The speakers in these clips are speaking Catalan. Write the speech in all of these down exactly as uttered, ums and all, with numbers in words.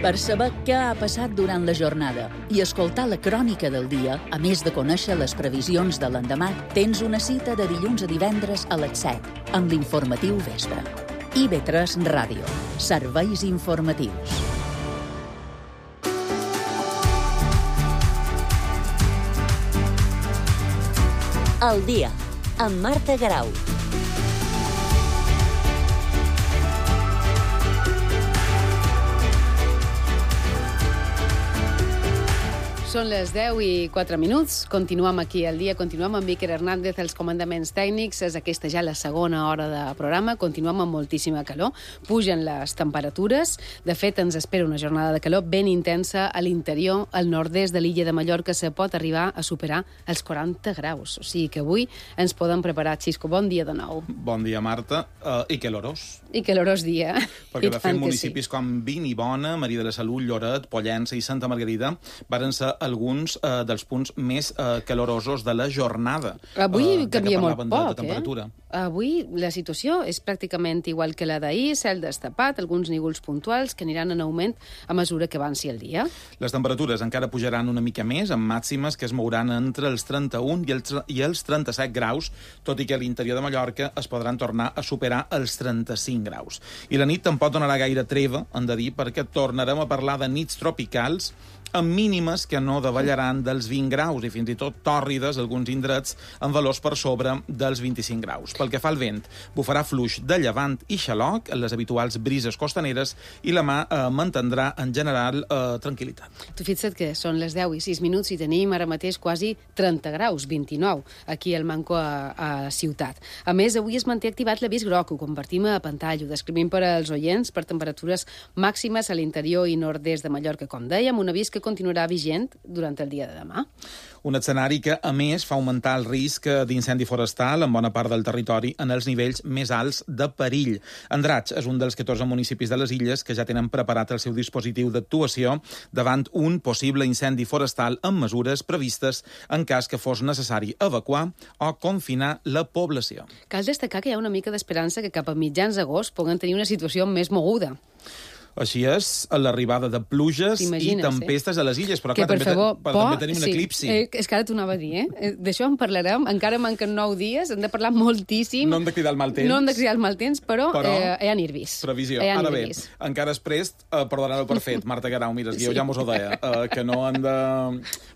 Per saber què ha passat durant la jornada i escoltar la crònica del dia, a més de conèixer les previsions de l'endemà, tens una cita de dilluns a divendres a les set, amb l'informatiu Vespre. I ve tres Ràdio. Serveis informatius. El dia, amb Marta Garau. Són les deu i quatre minuts. Continuem aquí al dia, continuem amb Iker Hernández, els comandaments tècnics. És aquesta ja la segona hora de programa. Continuem amb moltíssima calor. Pugen les temperatures. De fet, ens espera una jornada de calor ben intensa a l'interior, al nord-est de l'illa de Mallorca. Se pot arribar a superar els quaranta graus. O sigui que avui ens podem preparar. Xisco, bon dia de nou. Bon dia, Marta. Uh, I calorós. I calorós dia. Perquè, de fet, municipis sí. com Vinibona, Maria de la Salut, Lloret, Pollença i Santa Margarida varen ser alguns eh, dels punts més eh, calorosos de la jornada. Avui eh, canvia molt poc, de temperatura. eh? Avui la situació és pràcticament igual que la d'ahir, cel destapat, alguns nígols puntuals que aniran en augment a mesura que avanci el dia. Les temperatures encara pujaran una mica més, amb màximes que es mouran entre els trenta-un i els, i els trenta-set graus, tot i que a l'interior de Mallorca es podran tornar a superar els trenta-cinc graus. I la nit tampoc donarà gaire treva, hem de dir, perquè tornarem a parlar de nits tropicals amb mínimes que no davallaran dels vint graus i fins i tot tòrrides, alguns indrets, amb valors per sobre dels vint-i-cinc graus. Pel que fa al vent, bufarà fluix de llevant i xaloc, les habituals brises costaneres, i la mà eh, mantindrà en general eh, tranquil·litat. Tu fixa't que són les deu i sis minuts i tenim ara mateix quasi trenta graus, vint-i-nou, aquí al Manco a, a Ciutat. A més, avui es manté activat l'avís groc, ho convertim a pantalla, ho descrivim per als oients per temperatures màximes a l'interior i nord-est de Mallorca, com dèiem, un avís que continuarà vigent durant el dia de demà. Un escenari que, a més, fa augmentar el risc d'incendi forestal en bona part del territori en els nivells més alts de perill. Andratx és un dels catorze municipis de les illes que ja tenen preparat el seu dispositiu d'actuació davant un possible incendi forestal amb mesures previstes en cas que fos necessari evacuar o confinar la població. Cal destacar que hi ha una mica d'esperança que cap a mitjans d'agost puguen tenir una situació més moguda. Així és, a l'arribada de pluges i tempestes eh? a les illes, però que, clar, per també, favor, però por, també tenim un sí. eclipsi. Eh, és que ara t'ho anava a dir, eh? D'això en parlarem, encara manquen nou dies, hem de parlar moltíssim. No hem de cridar el mal temps. No hem de cridar el mal temps, però, però eh, hi ha nervis. Previsió. Hi ha ara bé, nervis. encara és prest, eh, per donar-ho per fet, Marta Garau, mira, sí. jo ja mos ho deia, eh, que no han de,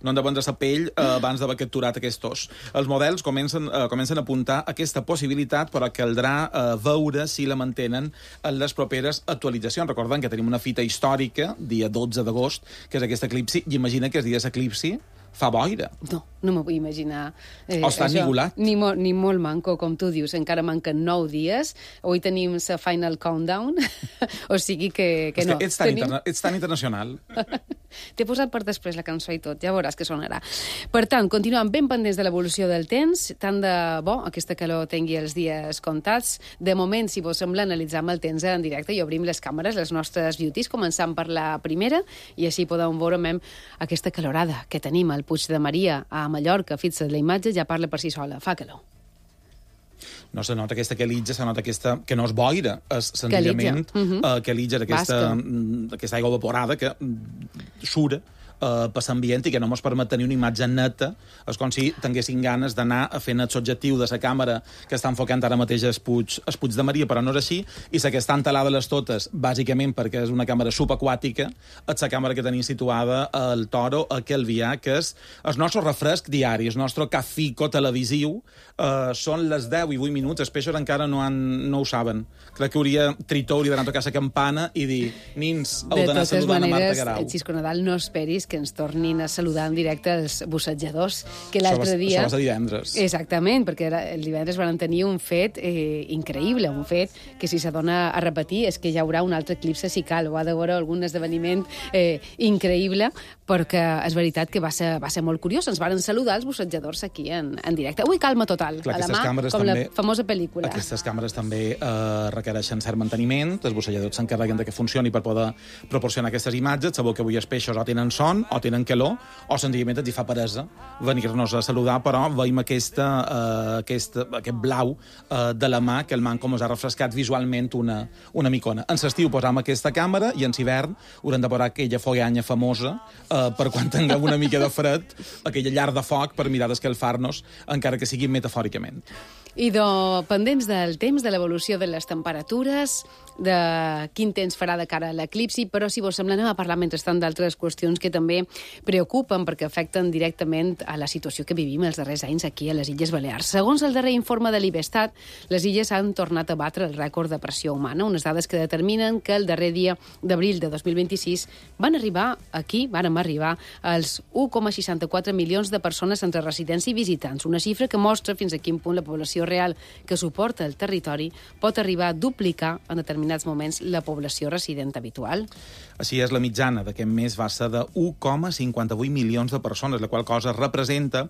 no han de vendre sa pell eh, abans d'haver capturat aquest os. Els models comencen, eh, comencen a apuntar aquesta possibilitat, però caldrà eh, veure si la mantenen en les properes actualitzacions. Recordem que tenim una fita històrica, dia dotze d'agost, que és aquest eclipsi, i imagina que els dies eclipsi fa boira. No, no m'ho vull imaginar. Eh, o està ennigolat. Ni, mo, ni molt manco, com tu dius. Encara manquen nou dies. Avui tenim la final countdown. O sigui que, que és no. Que ets, tan tenim... interna... ets tan internacional. T'he posat per després la cançó i tot. Ja veuràs que sonarà. Per tant, continuem ben pendents de l'evolució del temps. Tant de bo aquesta calor tingui els dies comptats. De moment, si vos sembla, analitzam el temps en directe i obrim les càmeres, les nostres beauties, començant per la primera, i així podem veure aquesta calorada que tenim al Puig de Maria, a Mallorca. Fixa't, la imatge ja parla per si sola. Fa calor. No se nota aquesta quelitja, se nota aquesta... que no és boira, és senzillament quelitja, uh -huh. uh, aquesta, aquesta aigua evaporada que sura Uh, per l'ambient i que no ens permet tenir una imatge neta. És com si tinguessin ganes d'anar a fer el subjectiu de la càmera que està enfocant ara mateix el Puig, el Puig de Maria, però no és així, i la que estan talades les totes, bàsicament perquè és una càmera subaquàtica, és la càmera que tenim situada al Toro, a Calvià, que és el nostre refresc diari, el nostre cafico televisiu. Uh, són les deu i vuit minuts, els peixos encara no, han, no ho saben. Crec que hauria, Tritó hauria d'anar a tocar la campana i dir, nins, heu d'anar saludant a Marta Garau. De totes maneres, Xisco Nadal, no esperis que ens tornin a saludar en directe els bussejadors, que l'altre dia... Això va ser divendres. Exactament, perquè era, el divendres van tenir un fet eh, increïble, un fet que si s'adona a repetir és que hi haurà un altre eclipse si cal, o ha de veure algun esdeveniment eh, increïble, perquè és veritat que va ser, va ser molt curiós. Ens van saludar els bussejadors aquí en, en directe. Avui calma total, clar, a la mà, com també, la famosa pel·lícula. Aquestes càmeres també eh, requereixen cert manteniment, els busselladors s'encarreguen de que funcioni per poder proporcionar aquestes imatges. Sabeu que avui els peixos o tenen son son, o tenen calor, o senzillament ens hi fa peresa venir-nos a saludar, però veiem aquesta, uh, aquesta, aquest blau uh, de la mà, que el man com us ha refrescat visualment una, una micona. En l'estiu posam aquesta càmera i en l'hivern haurem de posar aquella follanya famosa uh, per quan tinguem una mica de fred, aquella llar de foc per mirar d'escalfar-nos, encara que sigui metafòricament. I de, pendents del temps, de l'evolució de les temperatures, de quin temps farà de cara a l'eclipsi, però si vos sembla anem a parlar mentrestant d'altres qüestions que també preocupen perquè afecten directament a la situació que vivim els darrers anys aquí a les Illes Balears. Segons el darrer informe de l'Ibestat, les illes han tornat a batre el rècord de pressió humana, unes dades que determinen que el darrer dia d'abril de dos mil vint-i-sis van arribar aquí, vàrem arribar als un coma seixanta-quatre milions de persones entre residents i visitants, una xifra que mostra fins a quin punt la població real que suporta el territori pot arribar a duplicar en determinats moments la població resident habitual. Així és, la mitjana d'aquest mes va ser de un coma cinquanta-vuit milions de persones, la qual cosa representa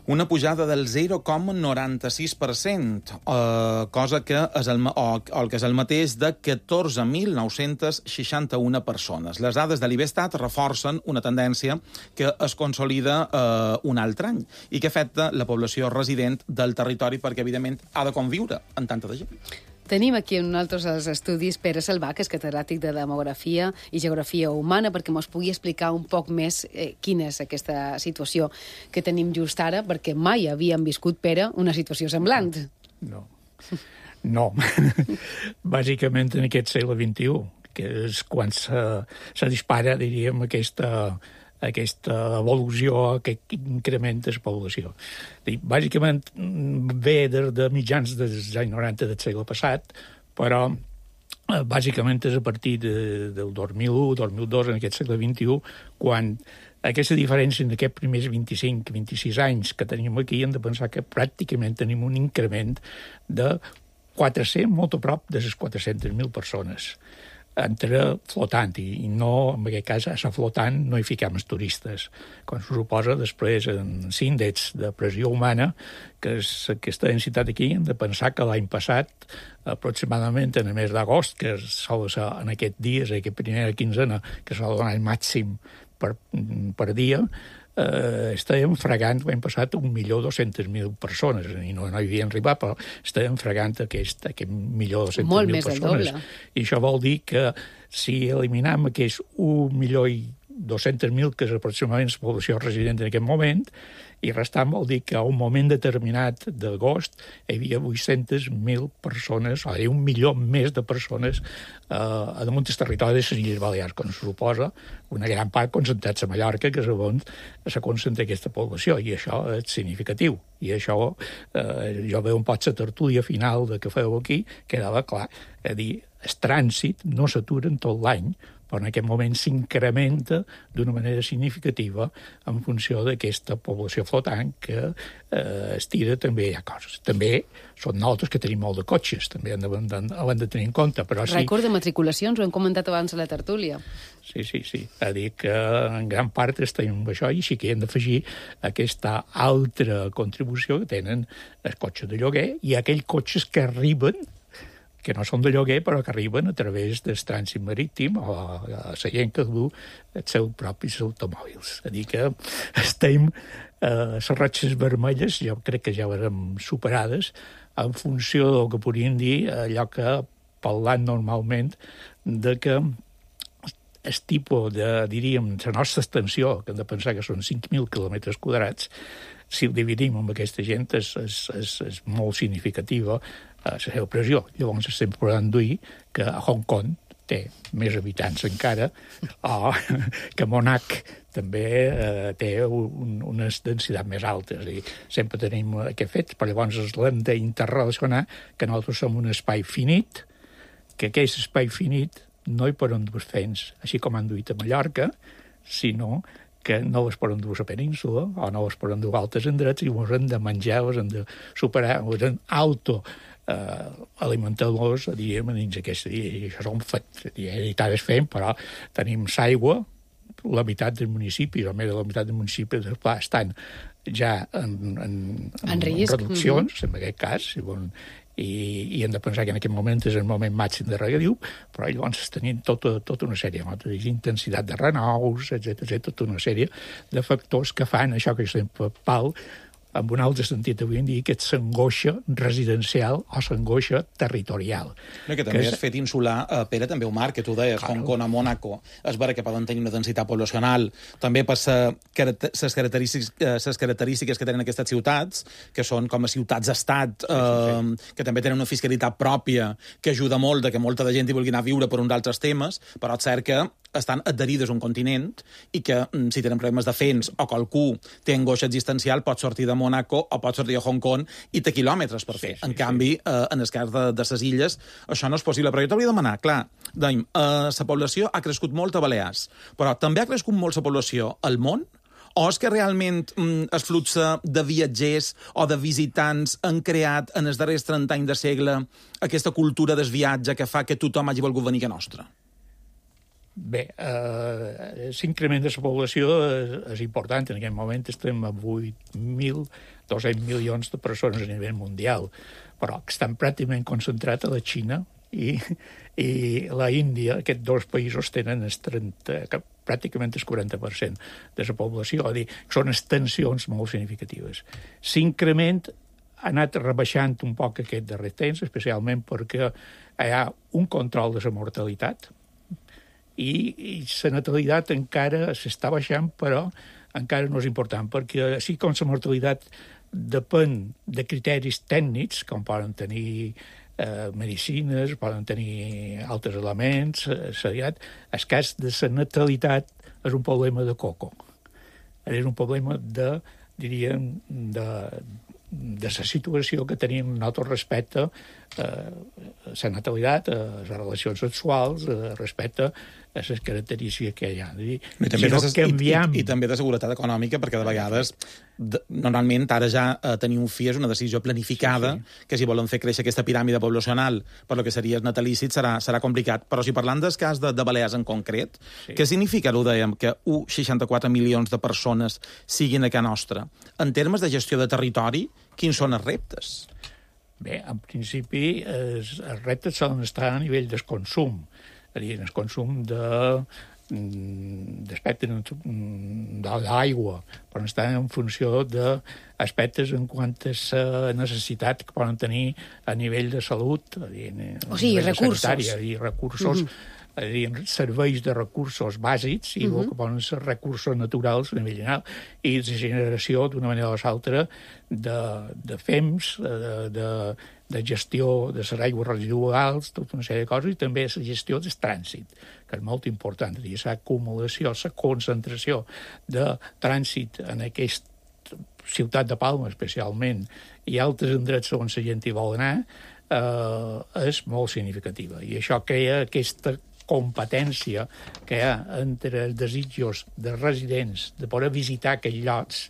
una pujada del zero coma noranta-sis per cent, eh, cosa que és el, o, o el que és el mateix de catorze mil nou-cents seixanta-una persones. Les dades de l'Ibestat reforcen una tendència que es consolida eh, un altre any i que afecta la població resident del territori perquè, evidentment, ha de conviure amb tanta de gent. Tenim aquí en nosaltres els estudis Pere Salvà, que és catedràtic de Demografia i Geografia Humana, perquè mos pugui explicar un poc més eh, quina és aquesta situació que tenim just ara, perquè mai havíem viscut, Pere, una situació semblant. No. No. Bàsicament en aquest segle vint-i-u, que és quan se, se dispara, diríem, aquesta... aquesta evolució, aquest increment de la població. Bàsicament ve de, de mitjans dels anys noranta del segle passat, però bàsicament és a partir de, del dos mil u, dos mil dos, en aquest segle vint-i-u, quan aquesta diferència en aquests primers vint-i-cinc vint-i-sis anys que tenim aquí, hem de pensar que pràcticament tenim un increment de quatre-cents, molt a prop de les quatre-centes mil persones. Entre flotant, i no, en aquest cas, a la flotant no hi fiquem els turistes. Com se suposa, després, en l'índex de pressió humana, que és aquesta densitat aquí, hem de pensar que l'any passat, aproximadament en el mes d'agost, que sol ser en aquests dies, en aquesta primera quinzena, que sol donar el màxim per, per dia, eh, estàvem fregant, l'any passat, un milió dos-centes mil persones, i no, no hi havien arribat, però estàvem fregant aquest, aquest milió dos-centes mil persones. I això vol dir que si eliminam aquest un milió i dos-centes mil, que és aproximadament la població resident en aquest moment, i restant vol dir que a un moment determinat d'agost hi havia vuit-centes mil persones, o sigui, un milió més de persones eh, a damunt del territori de les Illes Balears, com se suposa, una gran part concentrats a Mallorca, que és on se concentra aquesta població, i això és significatiu. I això, eh, jo veu un poc la tertúlia final de que feu aquí, quedava clar. És a dir, el trànsit no s'atura en tot l'any, però en aquest moment s'incrementa d'una manera significativa en funció d'aquesta població flotant que eh, es tira també hi ha coses. També són nosaltres que tenim molt de cotxes, també hem de, hem de tenir en compte. Però sí, rècord de matriculacions, ho hem comentat abans a la tertúlia. Sí, sí, sí. A dir que en gran part estem amb això i sí que hem d'afegir aquesta altra contribució que tenen els cotxes de lloguer i aquells cotxes que arriben que no són de lloguer, però que arriben a través del trànsit marítim o a la gent que du els seus propis automòbils. És a dir, que estem eh, les ratxes vermelles, jo crec que ja érem superades, en funció del que podríem dir allò que, parlant normalment, de que el tipus de, diríem, la nostra extensió, que hem de pensar que són cinc mil quilòmetres quadrats, si ho dividim amb aquesta gent és, és, és, és molt significativa la seva pressió. Llavors estem podent dir que a Hong Kong té més habitants encara, o que Monac també eh, té un, unes densitats més altes. I sempre tenim aquest fet, però llavors l'hem d'interrelacionar que nosaltres som un espai finit, que aquest espai finit no hi poden dur fents, així com han duit a Mallorca, sinó que no les poden dur a la península o no les poden dur a altres indrets i ens hem de menjar, ens hem de superar, ens hem auto eh, alimentar-los, diríem, dins aquest dia. I això és un fet. I tant es fem, però tenim l'aigua, la meitat del municipi, o més de la meitat del municipi estan ja en, en, en, en, en reduccions, mm-hmm. en aquest cas, i, i hem de pensar que en aquest moment és el moment màxim de regadiu, però llavors tenim tota, tota una sèrie de intensitat de renous, etcètera, tota una sèrie de factors que fan això que sempre pal, en un altre sentit avui en dia, que és l'angoixa residencial o l'angoixa territorial. No, que també que és... has fet insular, eh, Pere, també ho marc, que tu deies, claro. Hong Kong a Mònaco, és vera que poden tenir una densitat poblacional, també per les característiques, les característiques que tenen aquestes ciutats, que són com a ciutats-estat, eh, sí, sí. que també tenen una fiscalitat pròpia, que ajuda molt de que molta de gent hi vulgui anar a viure per uns altres temes, però és cert que estan adherides a un continent i que, si tenen problemes de fens o qualcú té angoixa existencial, pot sortir de Mònaco o pot sortir a Hong Kong i té quilòmetres per fer. Sí, sí, en canvi, sí. eh, en el cas de, de les illes, això no és possible. Però jo t'hauria de demanar, clar, dèiem, eh, la població ha crescut molt a Balears, però també ha crescut molt la població al món? O és que realment mm, el flux de viatgers o de visitants han creat en els darrers trenta anys de segle aquesta cultura del viatge que fa que tothom hagi volgut venir a nostra? Bé, eh, l'increment de la població és, és important. En aquest moment estem a vuit mil dos-cents milions de persones a nivell mundial, però que estan pràcticament concentrats a la Xina i, i la Índia. Aquests dos països tenen el trenta, pràcticament el quaranta per cent de la població. És a dir, són extensions molt significatives. L'increment ha anat rebaixant un poc aquest darrer temps, especialment perquè hi ha un control de la mortalitat, i, i la natalitat encara s'està baixant, però encara no és important, perquè així com la mortalitat depèn de criteris tècnics, com poden tenir eh, medicines, poden tenir altres elements, eh, el cas de la natalitat és un problema de coco. És un problema de, diríem, de, de la situació que tenim nosaltres respecte a eh, la natalitat, a les relacions sexuals, eh, respecte a les característiques que hi ha. Dir, I, també si no de, canviem... i, i també de seguretat econòmica, perquè de vegades, de, normalment, ara ja eh, tenir un fi és una decisió planificada, sí, sí. que si volen fer créixer aquesta piràmide poblacional per lo que seria el natalícit serà, serà complicat. Però si parlant del cas de, de Balears en concret, sí. Què significa, ho dèiem, que u coma seixanta-quatre milions de persones siguin a casa nostra? En termes de gestió de territori, quins són els reptes? Bé, en principi, els, els reptes solen estar a nivell del consum. És a dir, el consum de, d'aspectes de l'aigua, però estan en funció d'aspectes en quant a la necessitat que poden tenir a nivell de salut, a dir, o sigui, recursos. Sanitària, i recursos, mm-hmm. a dir, serveis de recursos bàsics i mm-hmm. el que poden ser recursos naturals a nivell general, i la generació d'una manera o l'altra de, de fems, de, de, de gestió de les aigües residuals, tota una sèrie de coses, i també la gestió del trànsit, que és molt important. És a dir, l'acumulació, la concentració de trànsit en aquesta ciutat de Palma, especialment, i altres indrets on la gent hi vol anar, eh, és molt significativa. I això crea aquesta competència que hi ha entre els desitjos dels residents de poder visitar aquells llocs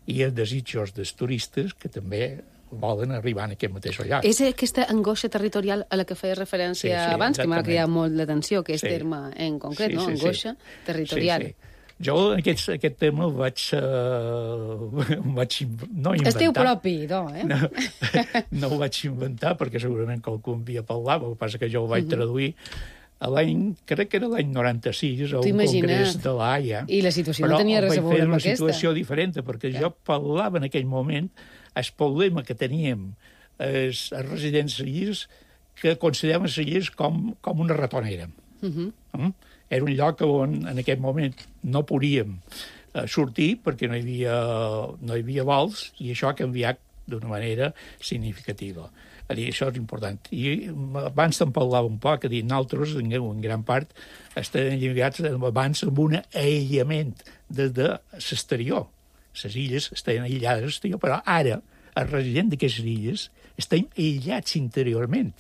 i els desitjos dels turistes que també volen arribar en aquest mateix lloc. És aquesta angoixa territorial a la que feia referència sí, sí, abans, exactament. Que m'ha cridat molt l'atenció, que és sí. terme en concret, sí, no? Sí, angoixa sí. territorial. Sí, sí. Jo aquest, aquest tema el vaig, uh, vaig no inventar. Esteu propi, no, eh? No, no ho vaig inventar, perquè segurament qualcú em havia parlat, el que passa que jo ho vaig uh-huh. traduir a l'any, crec que era l'any noranta-sis, a un congrés de l'Haia. I la situació no tenia res a veure amb aquesta. Però vaig fer una situació diferent, perquè ja. jo parlava en aquell moment el problema que teníem els, els residents cellers, que consideraven els cellers com, com una ratonera. Uh-huh. Mm? Era un lloc on en aquest moment no podíem eh, sortir perquè no hi havia, no hi havia vols, i això ha canviat d'una manera significativa. A dir, això és important. I abans te'n parlava un poc, a dir, nosaltres, en, en gran part, estem lligats abans amb un aïllament des de l'exterior. Les illes estan aïllades de l'exterior, però ara els residents d'aquestes illes estan aïllats interiorment.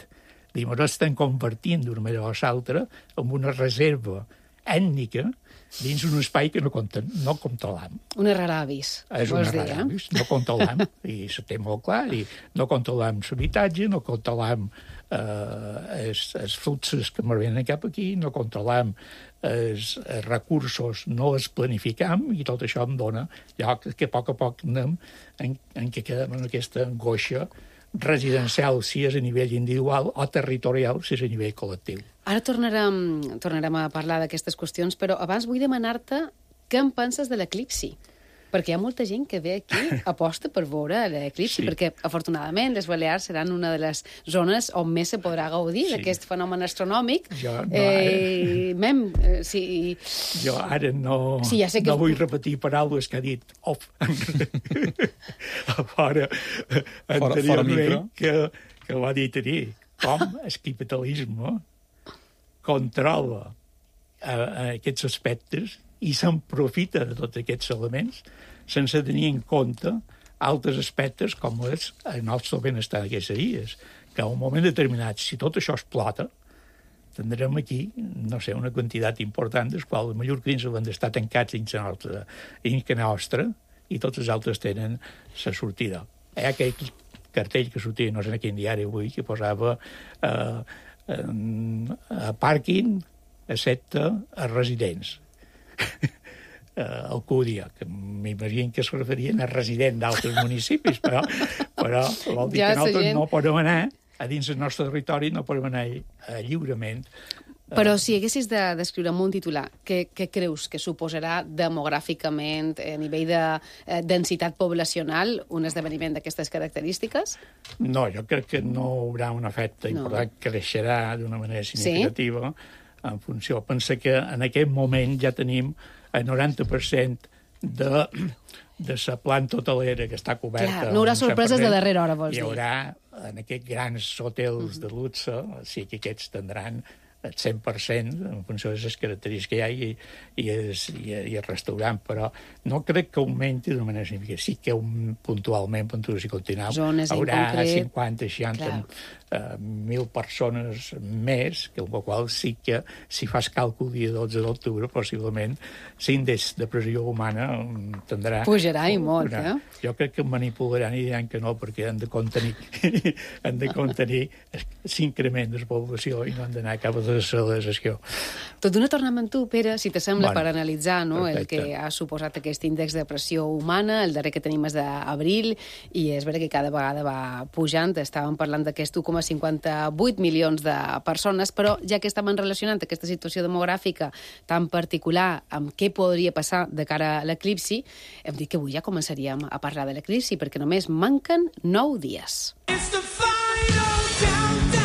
Dir, ens estem convertint d'una manera o l'altra en una reserva ètnica dins un espai que no, compten, no controlam. Una rara avis. És una rara avis, no controlam, i se té molt clar, i no controlam l'habitatge, no controlam eh, els, els fluxos que m'arriben cap aquí, no controlam els, els recursos, no els planificam, i tot això em dona lloc que a poc a poc anem en, en què quedem en aquesta angoixa residencial si és a nivell individual o territorial si és a nivell col·lectiu. Ara tornarem, tornarem a parlar d'aquestes qüestions, però abans vull demanar-te què en penses de l'eclipsi. Perquè hi ha molta gent que ve aquí, aposta per veure l'eclipsi, sí. perquè, afortunadament, les Balears seran una de les zones on més se podrà gaudir sí. d'aquest fenomen astronòmic. Jo no, eh, mem, eh, sí. Jo ara no, sí, ja sé que no vull repetir paraules que ha dit off. fora, anteriorment, que, que ho ha dit allí. Com el capitalisme controla uh, aquests aspectes i s'aprofita de tots aquests elements sense tenir en compte altres aspectes com és el nostre benestar d'aquests dies, que a un moment determinat, si tot això explota, tindrem aquí, no sé, una quantitat important dels quals els mallorquins han d'estar tancats dins la nostra, dins la nostra i tots els altres tenen la sortida. Hi ha aquell cartell que sortia, no sé en quin diari avui, que posava eh, a pàrquing excepte a residents. Uh, Alcúdia, que m'imagino que es referien a resident d'altres municipis, però, però vol dir ja, que nosaltres gent... no podem anar a dins del nostre territori, no podem anar uh, lliurement. Però si haguessis de descriure amb un titular, què, què creus que suposarà demogràficament, a nivell de eh, densitat poblacional, un esdeveniment d'aquestes característiques? No, jo crec que no hi haurà un efecte no. important, creixerà d'una manera significativa, sí? En funció. Pensa que en aquest moment ja tenim el noranta per cent de, de la planta hotelera que està coberta. Clar, no hi haurà sorpreses de darrera hora, vols dir. Hi haurà en aquests grans hotels de luxe, sí que aquests tindran el cent per cent en funció de les característiques que hi ha i, i, es, i, i el restaurant, però no crec que augmenti d'una manera significativa. Sí que un, puntualment, puntuació continental, zones haurà concret... cinquanta, seixanta, uh, mil persones més, que el qual sí que, si fas càlcul dia dotze d'octubre, possiblement, l'índex de pressió humana tindrà... Pujarà i molt, una, eh? Jo crec que manipularan i diran que no, perquè han de contenir, han de contenir l'increment de la població i no han d'anar cap a la celebració. Tot d'una tornem amb tu, Pere, si t'assembla, bueno, per analitzar no, el perfecte. que ha suposat aquest índex de pressió humana, el darrer que tenim és d'abril, i és vera que cada vegada va pujant. Estàvem parlant d'aquests u coma cinquanta-vuit milions de persones, però ja que estaven relacionant aquesta situació demogràfica tan particular amb què podria passar de cara a l'eclipsi, hem dit que avui ja començaríem a parlar de l'eclipsi, perquè només manquen nou dies. It's the final countdown.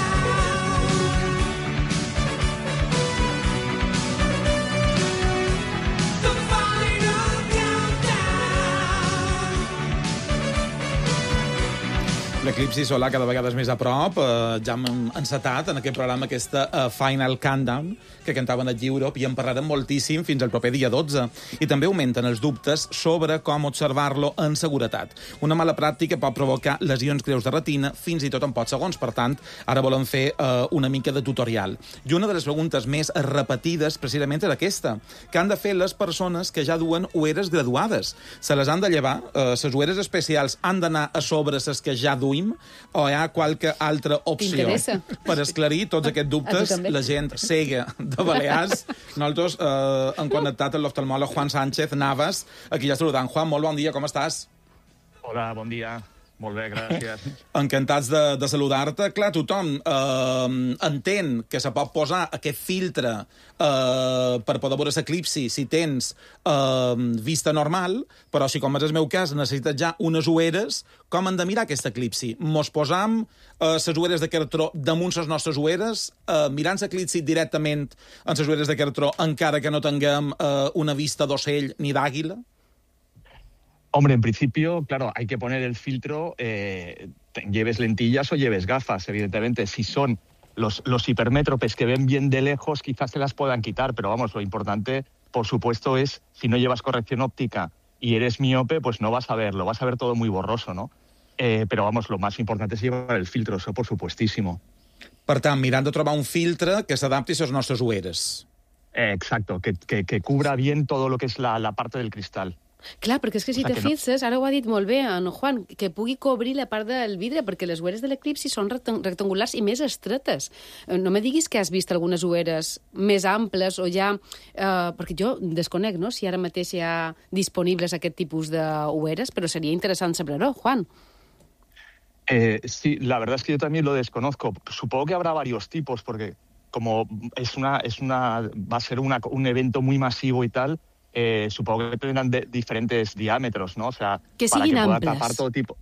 L'eclipsi solar cada vegada és més a prop. Eh, ja hem encetat en aquest programa aquesta uh, Final Countdown que cantaven a Europe i en parlarem moltíssim fins al proper dia dotze. I també augmenten els dubtes sobre com observar-lo en seguretat. Una mala pràctica pot provocar lesions greus de retina fins i tot en pocs segons. Per tant, ara volem fer uh, una mica de tutorial. I una de les preguntes més repetides precisament és aquesta. Què han de fer les persones que ja duen ulleres graduades? Se les han de llevar? Uh, les ulleres especials han d'anar a sobre les que ja duen o hi ha qualque altra opció? Per esclarir tots aquests dubtes, la gent cega de Balears, nosaltres eh, hem connectat amb l'oftalmòleg Juan Sánchez Navas, aquí ja saludant. Juan, molt bon dia, com estàs? Hola, bon dia. Molt bé, gràcies. Encantats de, de saludar-te. Clar, tothom eh, entén que se pot posar aquest filtre eh, per poder veure l'eclipsi si tens eh, vista normal, però si, com és el meu cas, necessites ja unes ulleres, com hem de mirar aquest eclipsi? Mos posam les eh, ulleres de cartró damunt les nostres ulleres, eh, mirant l'eclipsi directament en les ulleres de cartró, encara que no tinguem eh, una vista d'ocell ni d'àguila? Hombre, en principio, claro, hay que poner el filtro, eh, lleves lentillas o lleves gafas, evidentemente. Si son los, los hipermétropes que ven bien de lejos, quizás se las puedan quitar, pero vamos, lo importante, por supuesto, es si no llevas corrección óptica y eres miope, pues no vas a verlo, vas a ver todo muy borroso, ¿no? Eh, pero vamos, lo más importante es llevar el filtro, eso por supuestísimo. Per tant, mirant de trobar un filtre que s'adapti a les nostres ulleres. Eh, exacto, que, que, que cubra bien todo lo que es la, la parte del cristal. Clar, perquè és que si o sea, te fixes, no... ara ho ha dit molt bé en Juan, que pugui cobrir la part del vidre, perquè les ulleres de l'eclipsi són rectangulars i més estretes. No me diguis que has vist algunes ulleres més amples o ja... Eh, perquè jo desconec, no?, si ara mateix hi ha disponibles aquest tipus d'ulleres, però seria interessant saber-ho, Juan. Eh, sí, la verdad es que yo también lo desconozco. Supongo que habrá varios tipos, porque como es una, es una, va a ser una, un evento muy masivo y tal, eh, supongo que tendrán de, diferentes diámetros, ¿no? O sea, que para siguin que pueda amples. tapar todo tipo.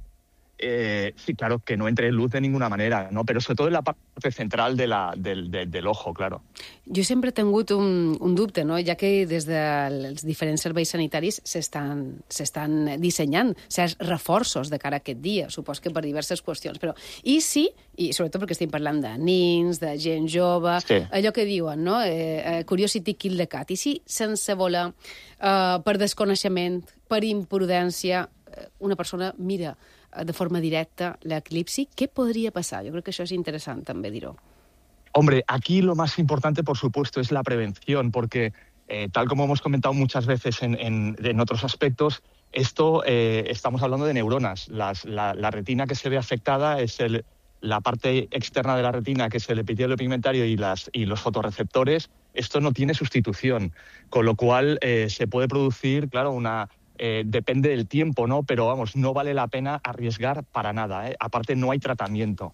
Eh, sí, claro, que no entre luz de ninguna manera, ¿no? Però sobretot en la part central de la, del, de, de l'ojo, claro. Jo sempre he tingut un, un dubte, no? Ja que des dels diferents serveis sanitaris s'estan dissenyant certs reforços de cara a aquest dia, supos que per diverses qüestions, però i sí, i sobretot perquè estem parlant de nins, de gent jove, sí. allò que diuen, no? Eh, curiosity kill the cat. I si sense voler, eh, per desconeixement, per imprudència, una persona mira de forma directa l'eclipsi, ¿qué podría pasar? Yo creo que eso es interesante también, diró. Hombre, aquí lo más importante, por supuesto, es la prevención, porque eh, tal como hemos comentado muchas veces en, en, en otros aspectos, esto eh, estamos hablando de neuronas. Las, la, la retina que se ve afectada es el, la parte externa de la retina, que es el epitelio pigmentario y, las, y los fotorreceptores. Esto no tiene sustitución, con lo cual eh, se puede producir, claro, una... Eh, depende del tiempo, ¿no? Pero vamos, no vale la pena arriesgar para nada, ¿eh? Aparte, no hay tratamiento.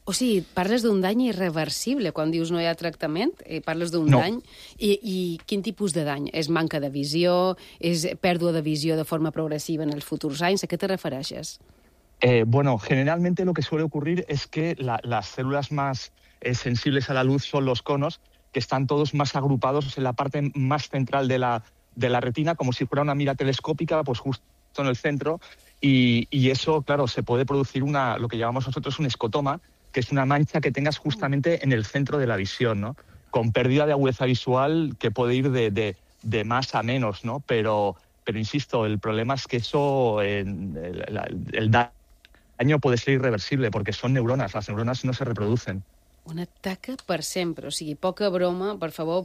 O sigui, parles d'un dany irreversible. Quan dius no hi ha tractament, eh, parles d'un no. dany. I, I quin tipus de dany? És manca de visió? És pèrdua de visió de forma progressiva en els futurs anys? A què te refereixes? Eh, bueno, generalmente lo que suele ocurrir es que la, las células más eh, sensibles a la luz son los conos, que están todos más agrupados en la parte más central de la de la retina, como si fuera una mira telescópica, pues justo en el centro, y, y eso, claro, se puede producir una, lo que llamamos nosotros un escotoma, que es una mancha que tengas justamente en el centro de la visión, ¿no? Con pérdida de agudeza visual que puede ir de, de, de más a menos, ¿no? Pero, pero insisto, el problema es que eso, eh, el, el daño puede ser irreversible, porque son neuronas, las neuronas no se reproducen. Una taca per sempre, o sigui, poca broma, per favor,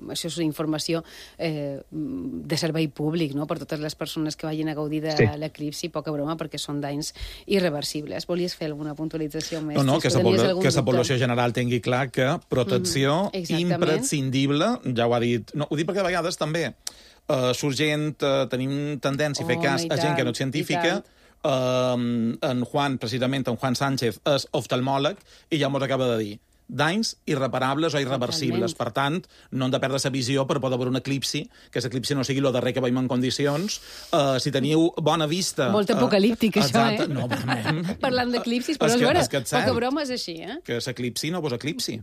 això és informació eh, de servei públic, no?, per totes les persones que vagin a gaudir de sí. l'eclipsi, poca broma, perquè són danys irreversibles. Volies fer alguna puntualització més? No, no, que la població general tingui clar que protecció mm, imprescindible, ja ho ha dit, no, ho dic perquè a vegades també uh, surt gent, uh, tenim tendència a fer cas a gent que no és científica. Uh, en Juan, precisament, en Juan Sánchez, és oftalmòleg i ja mos acaba de dir danys irreparables o irreversibles. Totalment. Per tant, no hem de perdre la visió per poder veure un eclipsi, que l'eclipsi no sigui el darrer que veiem en condicions. Uh, si teniu bona vista... Molt apocalíptic, uh, això, exacte, eh? No, realment. Parlant d'eclipsis, però és, que, és vera, poca broma és així, eh? Que l'eclipsi no vos eclipsi.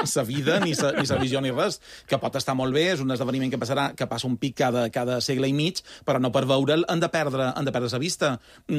Sa vida, ni sa, ni sa visió, ni res. Que pot estar molt bé, és un esdeveniment que passarà, que passa un pic cada, cada segle i mig, però no per veure'l han de perdre, han de perdre sa vista.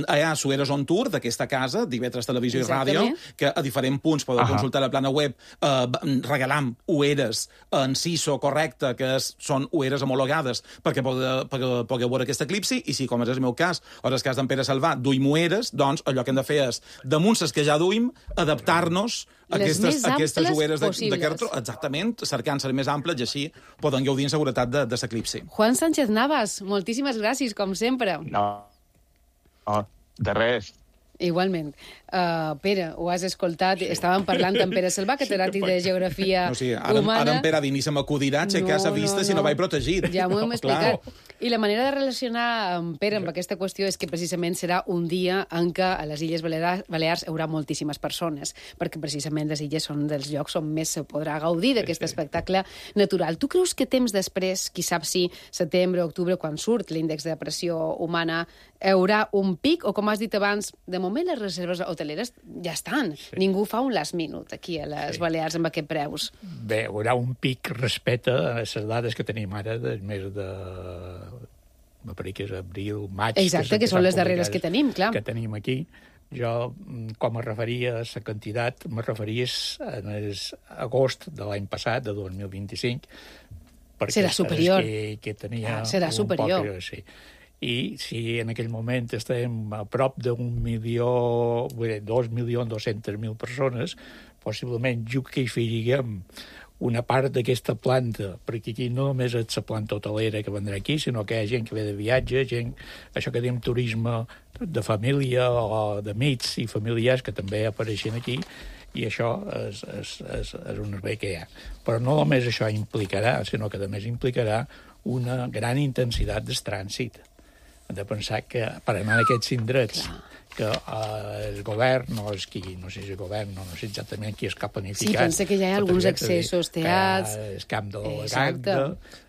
Allà, Sueres on tour, d'aquesta casa, d'I V tres Televisió Exactament. I Ràdio, que a diferents punts podeu Aha. consultar la plana web. Uh, regalam ueres en C I S O correcte, que és, són ueres homologades perquè pugueu, pugueu veure aquest eclipsi, i si, com és el meu cas, o és el cas d'en Pere Salvà, duim ueres, doncs allò que hem de fer és, damunt les que ja duim, adaptar-nos a aquestes, aquestes ueres de, de cartó, exactament, cercant ser més amples, i així poden gaudir en seguretat de, de l'eclipsi. Juan Sánchez Navas, moltíssimes gràcies, com sempre. No, no de res. Igualment. Uh, Pere, ho has escoltat, sí. Estàvem parlant amb Pere Salvà, catedràtic de Geografia no, sí, ara, Humana. Ara en Pere ni se m'acudirà aixecar no, sa vista no, no. si no vaig protegit. Ja m'ho hem no, explicat. Clar. I la manera de relacionar amb Pere amb aquesta qüestió és que precisament serà un dia en què a les Illes Balears hi haurà moltíssimes persones, perquè precisament les illes són dels llocs on més se podrà gaudir d'aquest sí, sí. espectacle natural. Tu creus que temps després, qui sap si setembre o octubre, quan surt l'índex de pressió humana, hi haurà un pic, o com has dit abans, de moment les reserves hoteleres ja estan. Sí. Ningú fa un last minute aquí a les sí. Balears amb aquest preus. Bé, hi haurà un pic respecte a les dades que tenim ara del mes de... me pareix que és abril, maig... Exacte, que, que són les darreres que tenim, clar. Que tenim aquí. Jo, com me referia a la quantitat, me referia en el agost de l'any passat, de dos mil vint-i-cinc, perquè serà superior. Que, que tenia ah, serà superior. Poc, sí. I si en aquell moment estem a prop d'un milió, vull dir, dos milions dos-centes mil persones, possiblement jo que hi afegirem una part d'aquesta planta, perquè aquí no només és la planta hotelera que vendrà aquí, sinó que hi ha gent que ve de viatge, gent, això que diem turisme de família o d'amics i familiars que també apareixen aquí, i això és, és, és, és un servei que hi ha. Però no només això implicarà, sinó que a més implicarà una gran intensitat del trànsit. Hem de pensar que per anar a aquests indrets, Clar. que eh, el govern, no és qui, no sé si el govern, no, no sé exactament qui és que ha planificat. Sí, pensa que hi ha alguns accessos teats... Que és camp de Exacte.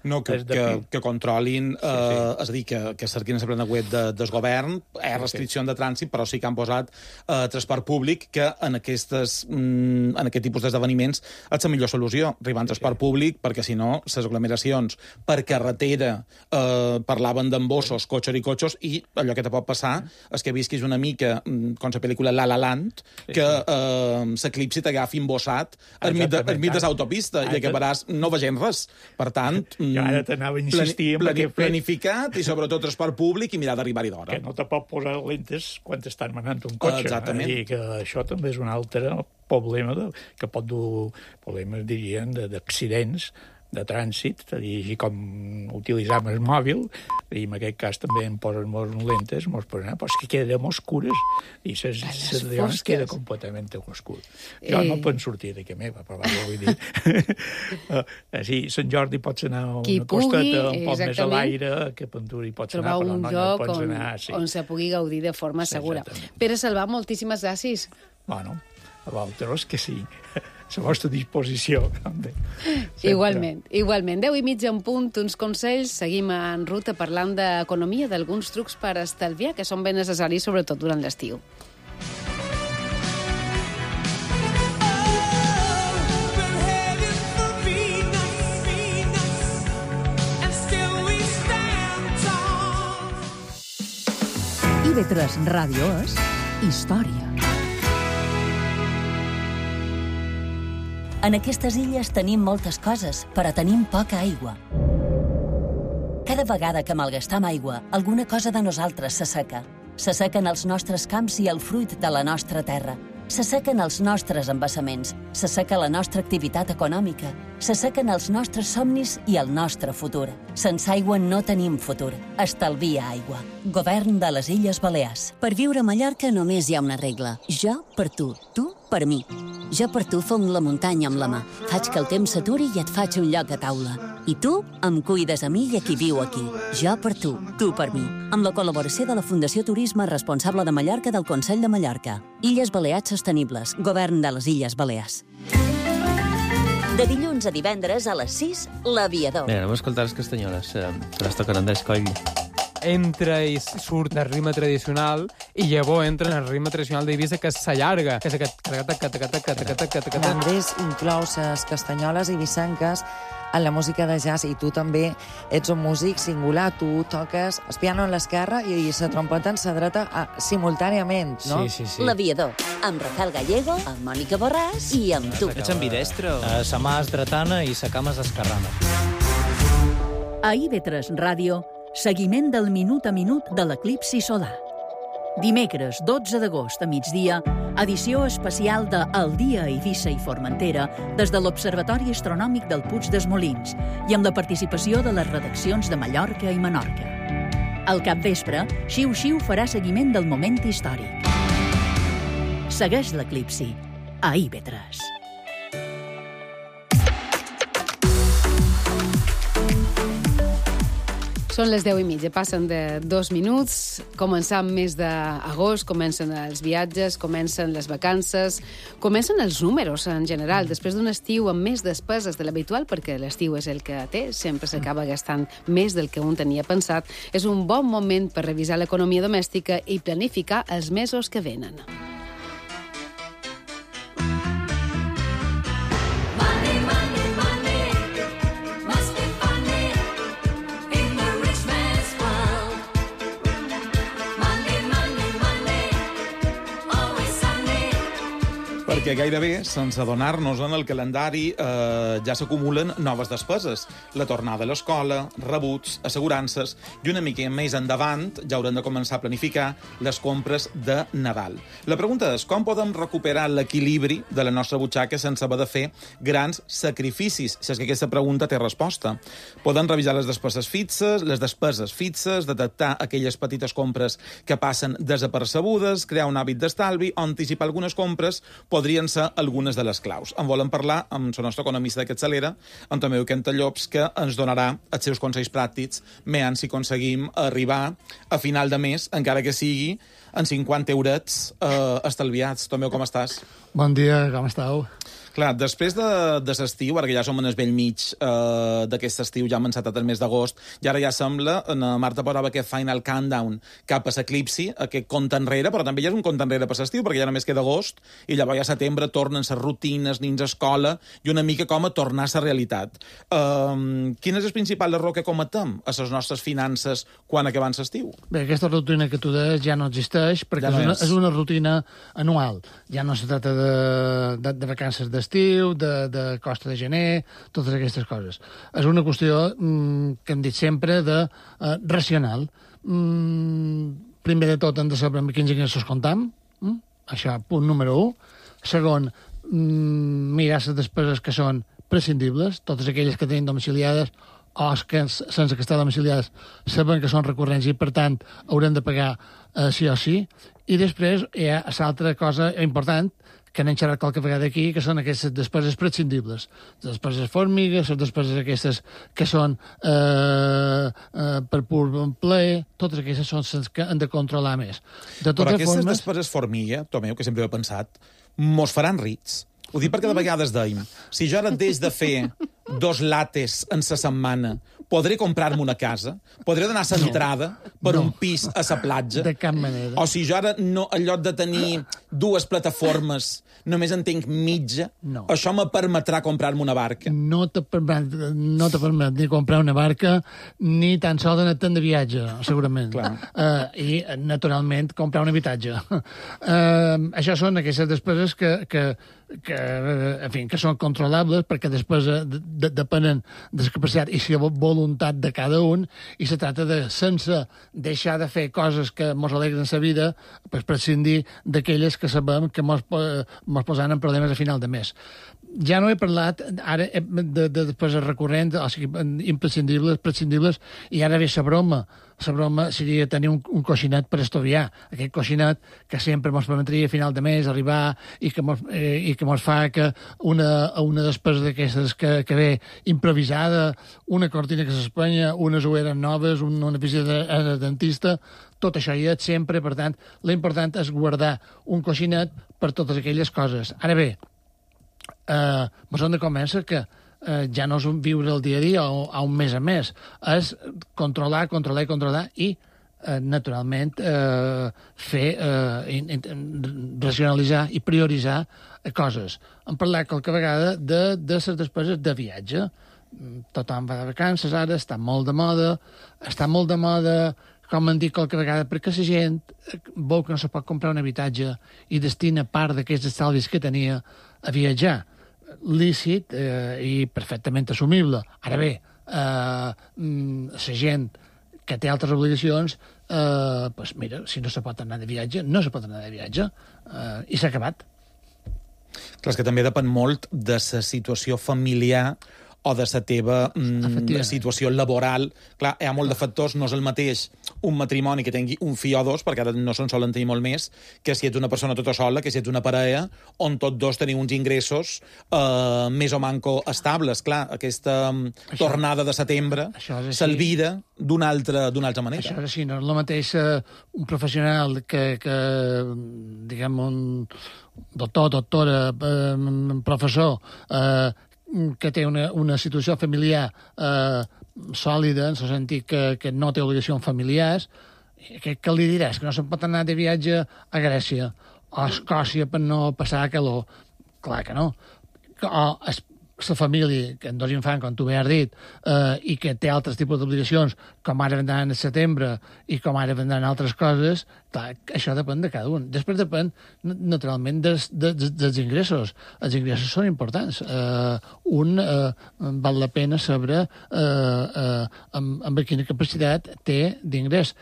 No, que, que, que controlin, eh, sí, sí. és a dir, que, que cerquin la plena web de, del govern, hi ha restricció de trànsit, però sí que han posat eh, transport públic, que en, aquestes, mm, en aquest tipus d'esdeveniments és la millor solució, arribar en transport públic, perquè si no, les aglomeracions per carretera eh, parlaven d'embossos, cotxes i cotxos, i allò que te pot passar és que visquis una mica, com la pel·lícula La La Land, que eh, l'eclipsi t'agafi embossat al mig de l'autopista i acabaràs no veient res. Per tant, jo ara t'anava a insistir plani, plani, planificat i sobretot transport públic i mirar d'arribar-hi d'hora. Que no te pot posar lentes quan t'estan manant un cotxe. Exactament. I que això també és un altre problema de, que pot dur, problemes, dirien, d'accidents de trànsit, és a dir, així com utilitzam el mòbil, i en aquest cas també em posen molts lentes, mos posen, però és que queden oscures, i les llums queden completament oscures. Jo eh... no puc sortir d'aquí meva, però vaja, vull dir... Així, Sant Jordi pots anar a una costeta un poc més a l'aire, que Penturi pots anar, però no, no pots on, anar... Sí. on se pugui gaudir de forma sí, segura. Exactament. Pere Salvà, moltíssimes gràcies. Bueno, a vosaltres que sí. A la vostra disposició. Igualment, igualment. Deu i mitja en punt, uns consells. Seguim en ruta parlant d'economia, d'alguns trucs per estalviar, que són ben necessaris, sobretot durant l'estiu. I ve tres Ràdio és història. En aquestes illes tenim moltes coses, però tenim poca aigua. Cada vegada que malgastam aigua, alguna cosa de nosaltres s'asseca. S'assequen els nostres camps i el fruit de la nostra terra. S'assequen els nostres embassaments, s'asseca la nostra activitat econòmica, s'assequen els nostres somnis i el nostre futur. Sense aigua no tenim futur. Estalvia aigua. Govern de les Illes Balears. Per viure a Mallorca només hi ha una regla. Jo per tu, tu per mi. Jo per tu fong la muntanya amb la mà. Faig que el temps s'aturi i et faig un lloc a taula. I tu em cuides a mi i a qui viu aquí. Jo per tu, tu per mi. Amb la col·laboració de la Fundació Turisme Responsable de Mallorca del Consell de Mallorca. Illes Balears Sostenibles. Govern de les Illes Balears. De dilluns a divendres a les sis, l'Aviador. Bé, anem a escoltar les castanyoles, que les toquen Andrés Coll. Entra i surt del ritme tradicional i llavors entra en el ritme tradicional d'Eivissa, que s'allarga, que és aquest... Andrés inclou les castanyoles eivissenques en la música de jazz, i tu també ets un músic singular, tu toques el piano en l'esquerra i la trompeta en la dreta simultàniament, no? Sí, sí, sí. L'Aviador, amb Rafael Gallego, amb Mònica Borràs i amb tu. Ets ambidestre? Uh, sa mà és dretana i sa cama és esquerrana. A I V tres Ràdio, seguiment del minut a minut de l'eclipsi solar. Dimecres, dotze d'agost a migdia, edició especial de El dia a Eivissa i Formentera des de l'Observatori Astronòmic del Puig dels Molins i amb la participació de les redaccions de Mallorca i Menorca. Al capvespre, Xiu Xiu farà seguiment del moment històric. Segueix l'eclipsi a I V tres. Són les deu i mitja, passen de dos minuts, començant mes d'agost, comencen els viatges, comencen les vacances, comencen els números en general, després d'un estiu amb més despeses de l'habitual, perquè l'estiu és el que té, sempre s'acaba gastant més del que un tenia pensat, és un bon moment per revisar l'economia domèstica i planificar els mesos que venen. Perquè gairebé, sense adonar-nos en el calendari, eh, ja s'acumulen noves despeses. La tornada a l'escola, rebuts, assegurances, i una mica més endavant ja haurem de començar a planificar les compres de Nadal. La pregunta és com podem recuperar l'equilibri de la nostra butxaca sense haver de fer grans sacrificis, si és que aquesta pregunta té resposta. Podem revisar les despeses fixes, les despeses fixes, detectar aquelles petites compres que passen desapercebudes, crear un hàbit d'estalvi o anticipar algunes compres podrien podrien ser algunes de les claus. En volem parlar amb el nostre economista de Capçalera, amb Tomeu Cantallops, que ens donarà els seus consells pràctics, meant si aconseguim arribar a final de mes, encara que sigui en cinquanta eurets eh, estalviats. Tomeu, com estàs? Bon dia, com esteu? Clar, després de, de l'estiu, ara que ja som en el vell mig eh, d'aquest estiu, ja hem encetat el mes d'agost, i ara ja sembla, na Marta posava aquest final countdown cap a l'eclipsi, aquest compte enrere, però també ja és un compte enrere per l'estiu, perquè ja només queda agost, i llavors ja a setembre tornen les rutines, nins a escola, i una mica com a tornar a la realitat. Eh, quin és el principal error que cometem a les nostres finances quan acabem l'estiu? Bé, aquesta rutina que tu deies ja no existeix, perquè ja no és, una, és. és una rutina anual. Ja no se trata de, de, de vacances de estiu, de, de costa de gener, totes aquestes coses. És una qüestió mm, que hem dit sempre de uh, racional. Mm, primer de tot hem de saber amb quins ingressos comptam, mm? Això, punt número un. Segon, mm, mirar les despeses que són prescindibles, totes aquelles que tenim domiciliades o que sense que estar domiciliades saben que són recurrents i, per tant, haurem de pagar uh, sí o sí. I després hi ha l'altra cosa important que n'hem xerrat qualque vegada aquí, que són aquestes despeses prescindibles. Les despeses formigues, les despeses aquestes que són eh, eh, per pur plaer, totes aquestes són les que hem de controlar més. De Però aquestes formes... despeses formiga, Tomeu, que sempre he pensat, mos faran rics. Ho dic perquè de vegades deim, si jo ara deix de fer dos lates en la setmana, podré comprar-me una casa? Podré donar l'entrada per no. un pis a la platja? De cap manera. O si jo ara, no, en lloc de tenir dues plataformes, només en tinc mitja, no. això me permetrà comprar-me una barca? No te permet, no te permet ni comprar una barca, ni tan sols anar-te'n de viatge, segurament. uh, I, naturalment, comprar un habitatge. Uh, això són aquestes despeses que, que, que, en fi, que són controlables, perquè després de, de, depenen de la capacitat i la voluntat de cada un, i se tracta de, sense deixar de fer coses que mos alegren la vida, pues prescindir d'aquelles que sabem que mos, mos posaran en problemes a final de mes. Ja no he parlat ara de, de despeses recurrents, o sigui, imprescindibles, prescindibles, i ara ve la broma. La broma seria tenir un, un coixinet per estudiar. Aquest coixinet que sempre ens permetria a final de mes arribar i que mos, eh, i que mos fa que una, una despesa d'aquestes que, que ve improvisada, una cortina que s'espanya, unes ulleres noves, un, una visita al dentista, tot això hi és sempre, per tant, l'important és guardar un coixinet per totes aquelles coses. Ara bé, eh, mos hem de convèncer que eh, ja no és un viure el dia a dia o a un mes a mes, és controlar, controlar i controlar i, eh, naturalment, eh, fer, eh, in, in, racionalitzar i prioritzar coses. Hem parlat qualque vegada de, de les despeses de viatge. Tothom va de vacances ara, està molt de moda, està molt de moda, com hem dit qualque vegada, perquè la gent vol que no se pot comprar un habitatge i destina part d'aquests estalvis que tenia a viatjar. Lícit eh, i perfectament assumible. Ara bé, eh, la gent que té altres obligacions, eh, pues mira, si no se pot anar de viatge, no se pot anar de viatge, eh, i s'ha acabat. Clar, és que també depèn molt de la situació familiar o de la teva mm, situació laboral. Clar, hi ha molt de factors, no és el mateix un matrimoni que tingui un fill o dos, perquè ara no se'n solen tenir molt més, que si ets una persona tota sola, que si ets una parella, on tots dos teniu uns ingressos eh, més o manco estables. Clar, aquesta això, tornada de setembre s'alvira d'una altra, d'una altra manera. Això és així, no és el mateix eh, un professional que, que diguem, un doctor, doctora, eh, professor, eh, que té una, una situació familiar eh, sòlida, en el sentit que, que no té obligacions familiars, que, que li diràs? Que no se'n pot anar de viatge a Grècia o a Escòcia per no passar calor? Clar que no. O la família, que en dos infants, com tu bé has dit, eh, i que té altres tipus d'obligacions, com ara vendran en setembre i com ara vendran altres coses, clar, això depèn de cada un. Després depèn, naturalment, des, des, dels ingressos. Els ingressos són importants. Eh, un eh, val la pena saber eh, eh, amb, amb quina capacitat té d'ingrés.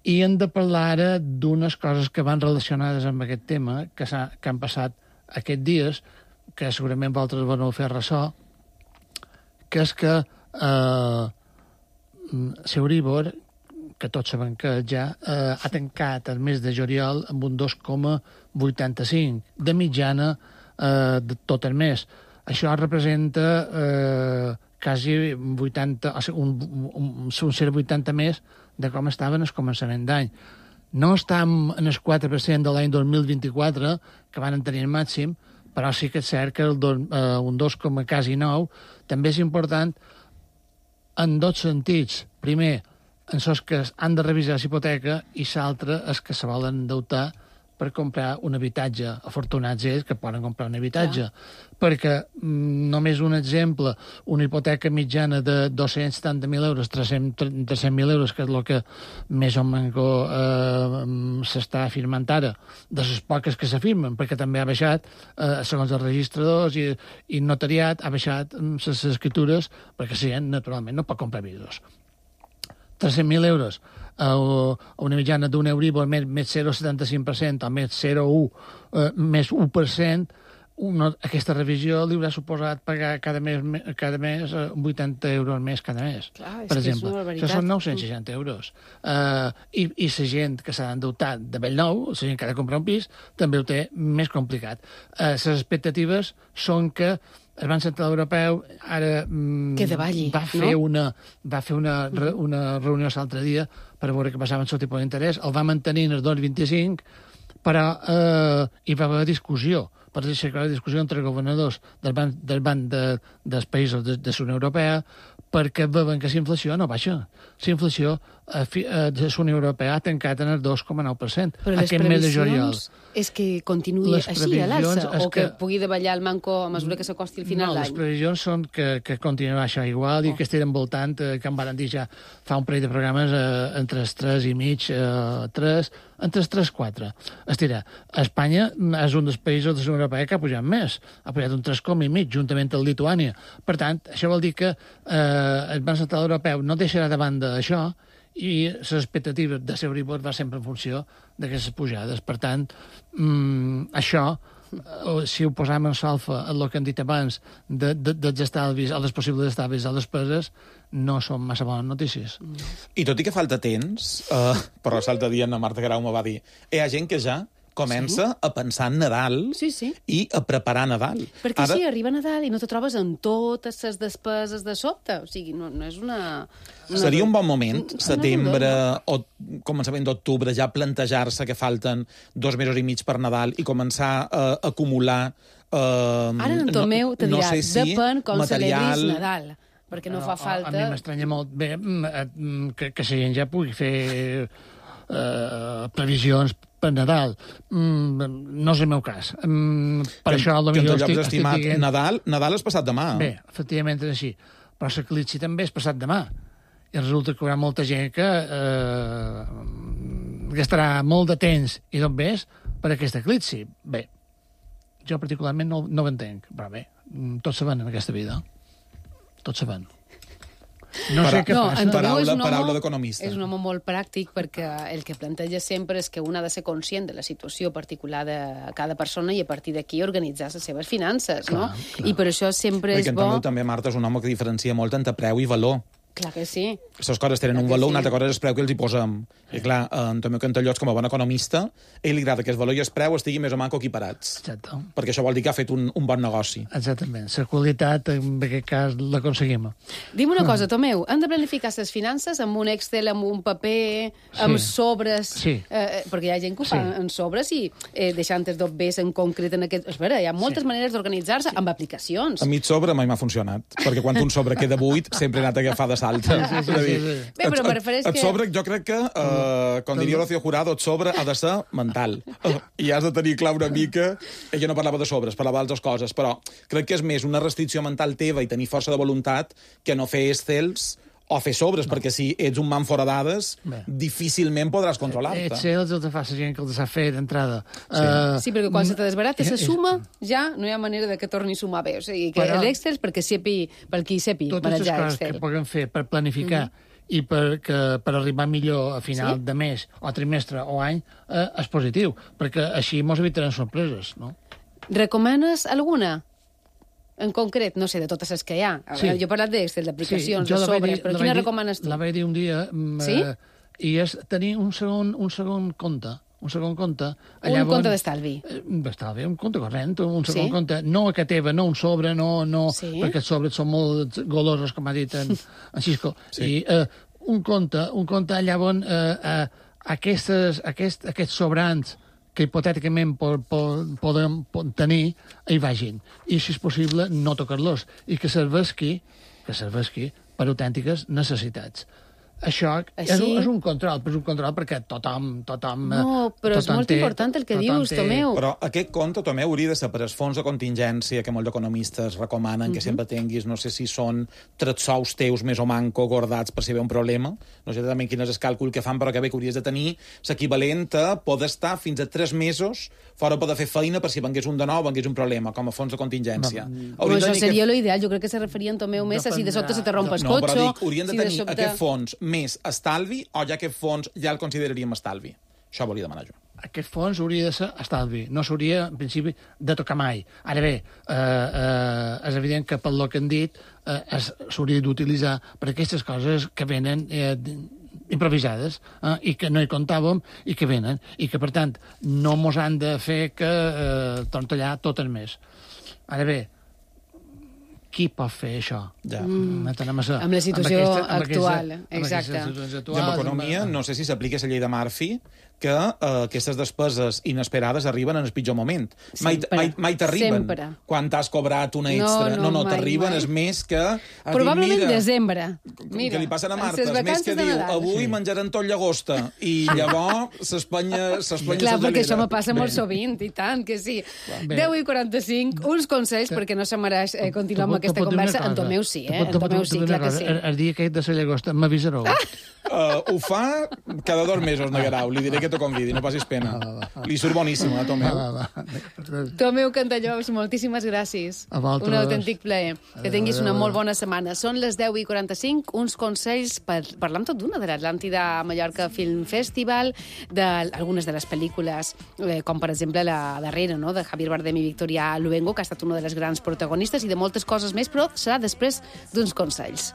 I hem de parlar ara d'unes coses que van relacionades amb aquest tema, que, que han passat aquests dies, que segurament vosaltres vau fer ressò, que és que eh, l'Euribor, que tots sabem que ja eh, ha tancat el mes de juliol amb un dos coma vuitanta-cinc de mitjana eh, de tot el mes. Això representa eh, quasi vuitanta, o sigui, un, un, un zero coma vuitanta més de com estaven al començament d'any. No estem en el quatre per cent de l'any dos mil vint-i-quatre, que van tenir el màxim, però sí que és cert que el dos, eh, un dos coma quasi nou també és important en dos sentits. Primer, en els que han de revisar la hipoteca, i l'altre és que se volen endeutar per comprar un habitatge. Afortunats ells que poden comprar un habitatge. Ja. Perquè, mm, només un exemple, una hipoteca mitjana de dos-cents setanta mil euros, tres-cents mil euros, que és el que més o menys eh, s'està afirmant ara, de les poques que s'afirmen, perquè també ha baixat, eh, segons els registradors i, i notariat, ha baixat les escritures, perquè la gent, naturalment, no pot comprar pisos. tres-cents mil euros a una mitjana d'un Euribor més, més zero coma setanta-cinc per cent o més zero coma un, eh, més u per cent, una, aquesta revisió li haurà suposat pagar cada mes, cada mes eh, vuitanta euros més cada mes, Clar, per exemple. Això són nou-cents seixanta euros. Uh, i, I la gent que s'ha d'endeutar de bell nou, la gent que ha de comprar un pis, també ho té més complicat. Uh, les expectatives són que el Banc Central Europeu ara mm, que davalli, va fer no? una, va fer una, re, una reunió l'altre dia per veure què passava amb el tipus d'interès. El va mantenir en el dos coma vint-i-cinc, però eh, hi va haver discussió. Per aixecar la discussió entre governadors del banc, del banc de, dels països de, de la Unió Europea, perquè veuen que la inflació no baixa. La inflació a, a la Unió Europea ha tancat en el dos coma nou per cent. Però les previsions és que continuï les així a l'alça, o que, que pugui davallar el manco a mesura que s'acosti el final no, d'any? Les previsions són que, que continuarà això igual oh. i que estigui envoltant, eh, que em van dir ja fa un parell de programes eh, entre els tres i mig, eh, tres, entre els tres i quatre. Estirà, Espanya és un dels països de la Unió Europea que ha pujat més, ha pujat un tres coma i mig, juntament amb Lituània. Per tant, això vol dir que eh, el Banc Central Europeu no deixarà de banda això, i les expectatives de l'Euribor va sempre en funció d'aquestes pujades. Per tant, mmm, això, si ho posam en solfa a el que hem dit abans de, de, dels estalvis, a les possibles estalvis a les despeses, no són massa bones notícies. I tot i que falta temps, uh, però l'altre dia la Marta Grau me va dir hi ha gent que ja comença sí? a pensar en Nadal sí, sí. i a preparar Nadal. Perquè Ara... sí, arriba Nadal i no te trobes amb totes les despeses de sobte. O sigui, no, no és una... una... Seria un bon moment, setembre o començament d'octubre, ja plantejar-se que falten dos mesos i mig per Nadal i començar a acumular... Uh, Ara en Tomeu te dirà, no sé si depèn com material... celebris Nadal, perquè no, no fa falta... A mi m'estranya molt bé que, que la gent ja pugui fer uh, previsions per Nadal. Mm, no és el meu cas. Mm, per que, això, que en tot lloc estimat, dient... Nadal, Nadal és passat demà. Bé, efectivament és així. Però l'eclipsi també és passat demà. I resulta que hi haurà molta gent que eh, gastarà molt de temps i d'on ves per aquest eclipsi. Bé, jo particularment no, no ho entenc, però bé, tots se van en aquesta vida. Tots se van. No sé què no, passa. Paraula, paraula d'economista. És un home molt pràctic perquè el que planteja sempre és que un ha de ser conscient de la situació particular de cada persona i a partir d'aquí organitzar les seves finances, clar, no? Clar. I per això sempre perquè és bo... Perquè també, Marta, és un home que diferencia molt entre preu i valor. Clar que sí. Les coses tenen un valor, sí. Una altra cosa és el preu que els hi posem. I clar, en Tomeu Cantallots, com a bon economista, a ell li agrada que el valor i el preu estiguin més o manco equiparats. Exacte. Perquè això vol dir que ha fet un, un bon negoci. Exactament. La qualitat, en aquest cas, l'aconseguim. Dime una cosa, Tomeu, hem de planificar les finances amb un Excel, amb un paper, amb sí. sobres... Sí. Eh, perquè hi ha gent que ho fa sí. en sobres i eh, deixant els dobbers en concret en aquest... Espera, hi ha moltes sí. maneres d'organitzar-se sí. amb aplicacions. A mi el sobre mai m'ha funcionat, perquè quan un sobre queda buit sempre he anat a agafar de salta. Sí, sí, sí, sí, sí. Bé, però me refereix que... Et sobre, jo crec que, uh, com diria Rocío Jurado, et sobre ha de ser mental. Uh, I has de tenir clar una mica... Ella no parlava de sobres, parlava d'altres coses, però crec que és més una restricció mental teva i tenir força de voluntat que no fer Excels o fer sobres, no. Perquè si ets un man fora dades, bé. Difícilment podràs controlar-te. Excels els fa la gent que els ha fet d'entrada. Sí. Uh, sí, perquè quan se te desbarata la suma, ja no hi ha manera de que torni a sumar bé. O sigui, que l'Excel, perquè sepi, per qui sepi manejar Excel. Totes les coses que puguem fer per planificar mm-hmm. i per, que, per arribar millor a final sí? de mes, o trimestre, o any, eh, és positiu, perquè així mos evitaran sorpreses, no? Recomanes alguna? En concret, no sé, de totes les que hi ha. Sí. Jo he parlat d'Excel, d'aplicacions, sí, de sobres, dir, però quina dir, recomanes tu? La vaig dir un dia... Sí? Eh, i és tenir un segon, un segon compte, un segon compte... Un compte d'estalvi. D'estalvi, un compte corrent, un segon sí? compte, no a que teva, no un sobre, no, no sí? perquè els sobres són molt golosos, com ha dit en, en Xisco. Sí. I uh, un compte, un compte allà on uh, uh, aquestes, aquest, aquests sobrants que hipotèticament po, po, podem tenir, hi vagin. I, si és possible, no tocar-los. I que serveixi, que serveixi per autèntiques necessitats. Això és un, és un control, però és un control perquè tothom... tothom no, però tothom és molt té, important el que dius, té... Tomeu. Però aquest compte, Tomeu, hauria de ser per als fons de contingència que molts economistes recomanen, que uh-huh. sempre tinguis, no sé si són tres sous teus més o manco guardats per si hi ha un problema. No sé també quin és el càlcul que fan, però que bé que hauries de tenir l'equivalent a poder estar fins a tres mesos fora poder fer feina per si vengués un de nou o vengués un problema, com a fons de contingència. No, no això seria que... l'ideal. Jo crec que se referien, Tomeu, més a si de sobte se te romp el no, cotxe... No, però dic, haurien de si tenir de sobte... aquest fons més estalvi o ja aquest fons ja el consideraríem estalvi? Això volia demanar jo. Aquest fons hauria de ser estalvi. No s'hauria, en principi, de tocar mai. Ara bé, eh, eh, és evident que pel que han dit eh, s'hauria d'utilitzar per aquestes coses que venen eh, improvisades eh, i que no hi comptàvem i que venen. I que, per tant, no mos han de fer que eh, torntallar tot el mes. Ara bé, qui pot fer això? Ja. Mm. Amb, a, amb la situació amb aquesta, actual. Amb aquesta, exacte. Amb actuals, I amb economia, amb... no sé si s'aplica la llei de Murphy, que uh, aquestes despeses inesperades arriben en el pitjor moment. Mai, mai, mai t'arriben quan t'has cobrat una extra. No, no, no, no t'arriben, és més que... Probablement dit, mira, desembre. Mira, que li passen a Marta, és més que diu, avui sí. menjaran tot llagosta, i llavors s'espanya s'espanya Clar, perquè això me passa molt sovint, i tant, que sí. Bé. deu i quaranta-cinc, uns consells, perquè no se mereix eh, continuar amb aquesta conversa. En Tomeu sí, eh? En Tomeu sí, clar que sí. El dia aquest de la llagosta m'avisareu. Uh, ho fa cada dos mesos, Negarau. Li diré que t'ho convidi, no passis pena. Va, va, va. Li surt boníssima, eh, Tomeu. Va, va, va. Tomeu Cantallops, moltíssimes gràcies. Un autèntic plaer. Que tinguis una molt bona setmana. Són les deu i quaranta-cinc, uns consells per parlar amb tot d'una de l'Atlàntida Mallorca Film Festival, d'algunes de les pel·lícules, eh, com per exemple la darrera, no?, de Javier Bardem i Victoria Luengo, que ha estat una de les grans protagonistes, i de moltes coses més, però serà després d'uns consells.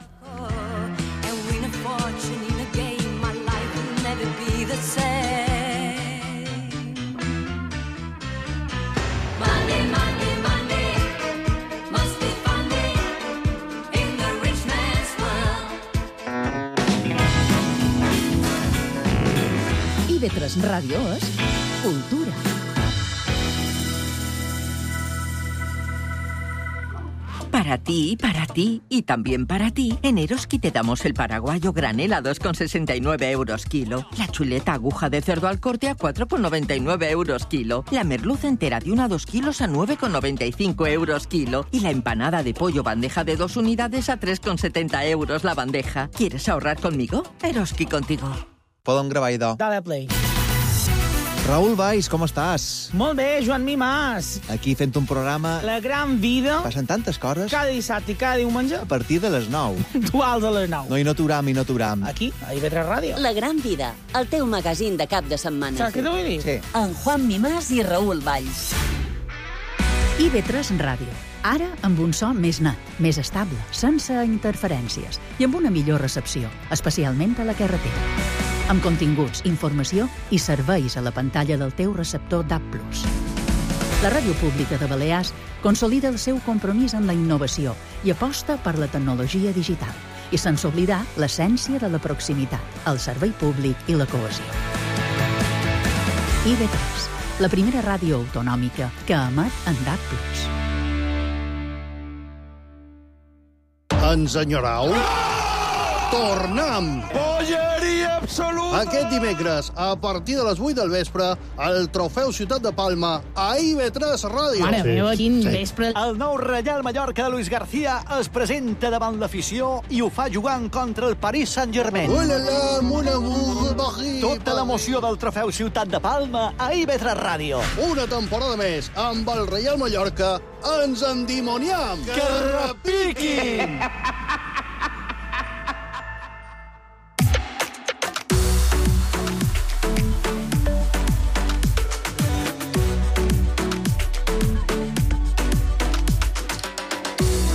I ve tres Ràdio és cultura. Para ti, para ti y también para ti, en Eroski te damos el paraguayo granel a dos con sesenta y nueve euros kilo, la chuleta aguja de cerdo al corte a cuatro con noventa y nueve euros kilo, la merluza entera de una a dos kilos a nueve con noventa y cinco euros kilo y la empanada de pollo bandeja de dos unidades a tres con setenta euros la bandeja. ¿Quieres ahorrar conmigo? Eroski contigo. Podem gravar, idò. Dale play. Raül Valls, com estàs? Molt bé, Joan Mimàs. Aquí fent un programa... La gran vida. Passen tantes coses. Cada dissabte i cada diumenge. A partir de les nou. Duals a les nou. No, i no t'uram, i no t'uram. Aquí, a I V tres Ràdio. La gran vida, el teu magazín de cap de setmana. Saps què t'ho vull dir? Sí. En Juan Mimàs i Raül Valls. I V tres Ràdio. Ara amb un so més net, més estable, sense interferències i amb una millor recepció, especialment a la carretera. Amb continguts, informació i serveis a la pantalla del teu receptor D A B plus. La Ràdio Pública de Balears consolida el seu compromís amb la innovació i aposta per la tecnologia digital, i sense oblidar l'essència de la proximitat, el servei públic i la cohesió. I V tres, la primera ràdio autonòmica que emet en D A B plus. Ens enyorau? Tornem! Polleria absoluta! Aquest dimecres, a partir de les vuit del vespre, el Trofeu Ciutat de Palma a I V tres Ràdio. Mare sí. meva, quin sí. vespre! El nou Reial Mallorca de Luis García es presenta davant l'afició i ho fa jugant contra el Paris Saint-Germain. Ulala, mon amour, Paris, Tota l'emoció del Trofeu Ciutat de Palma a I V tres Ràdio. Una temporada més amb el Reial Mallorca ens endimoniam. Que repiquin!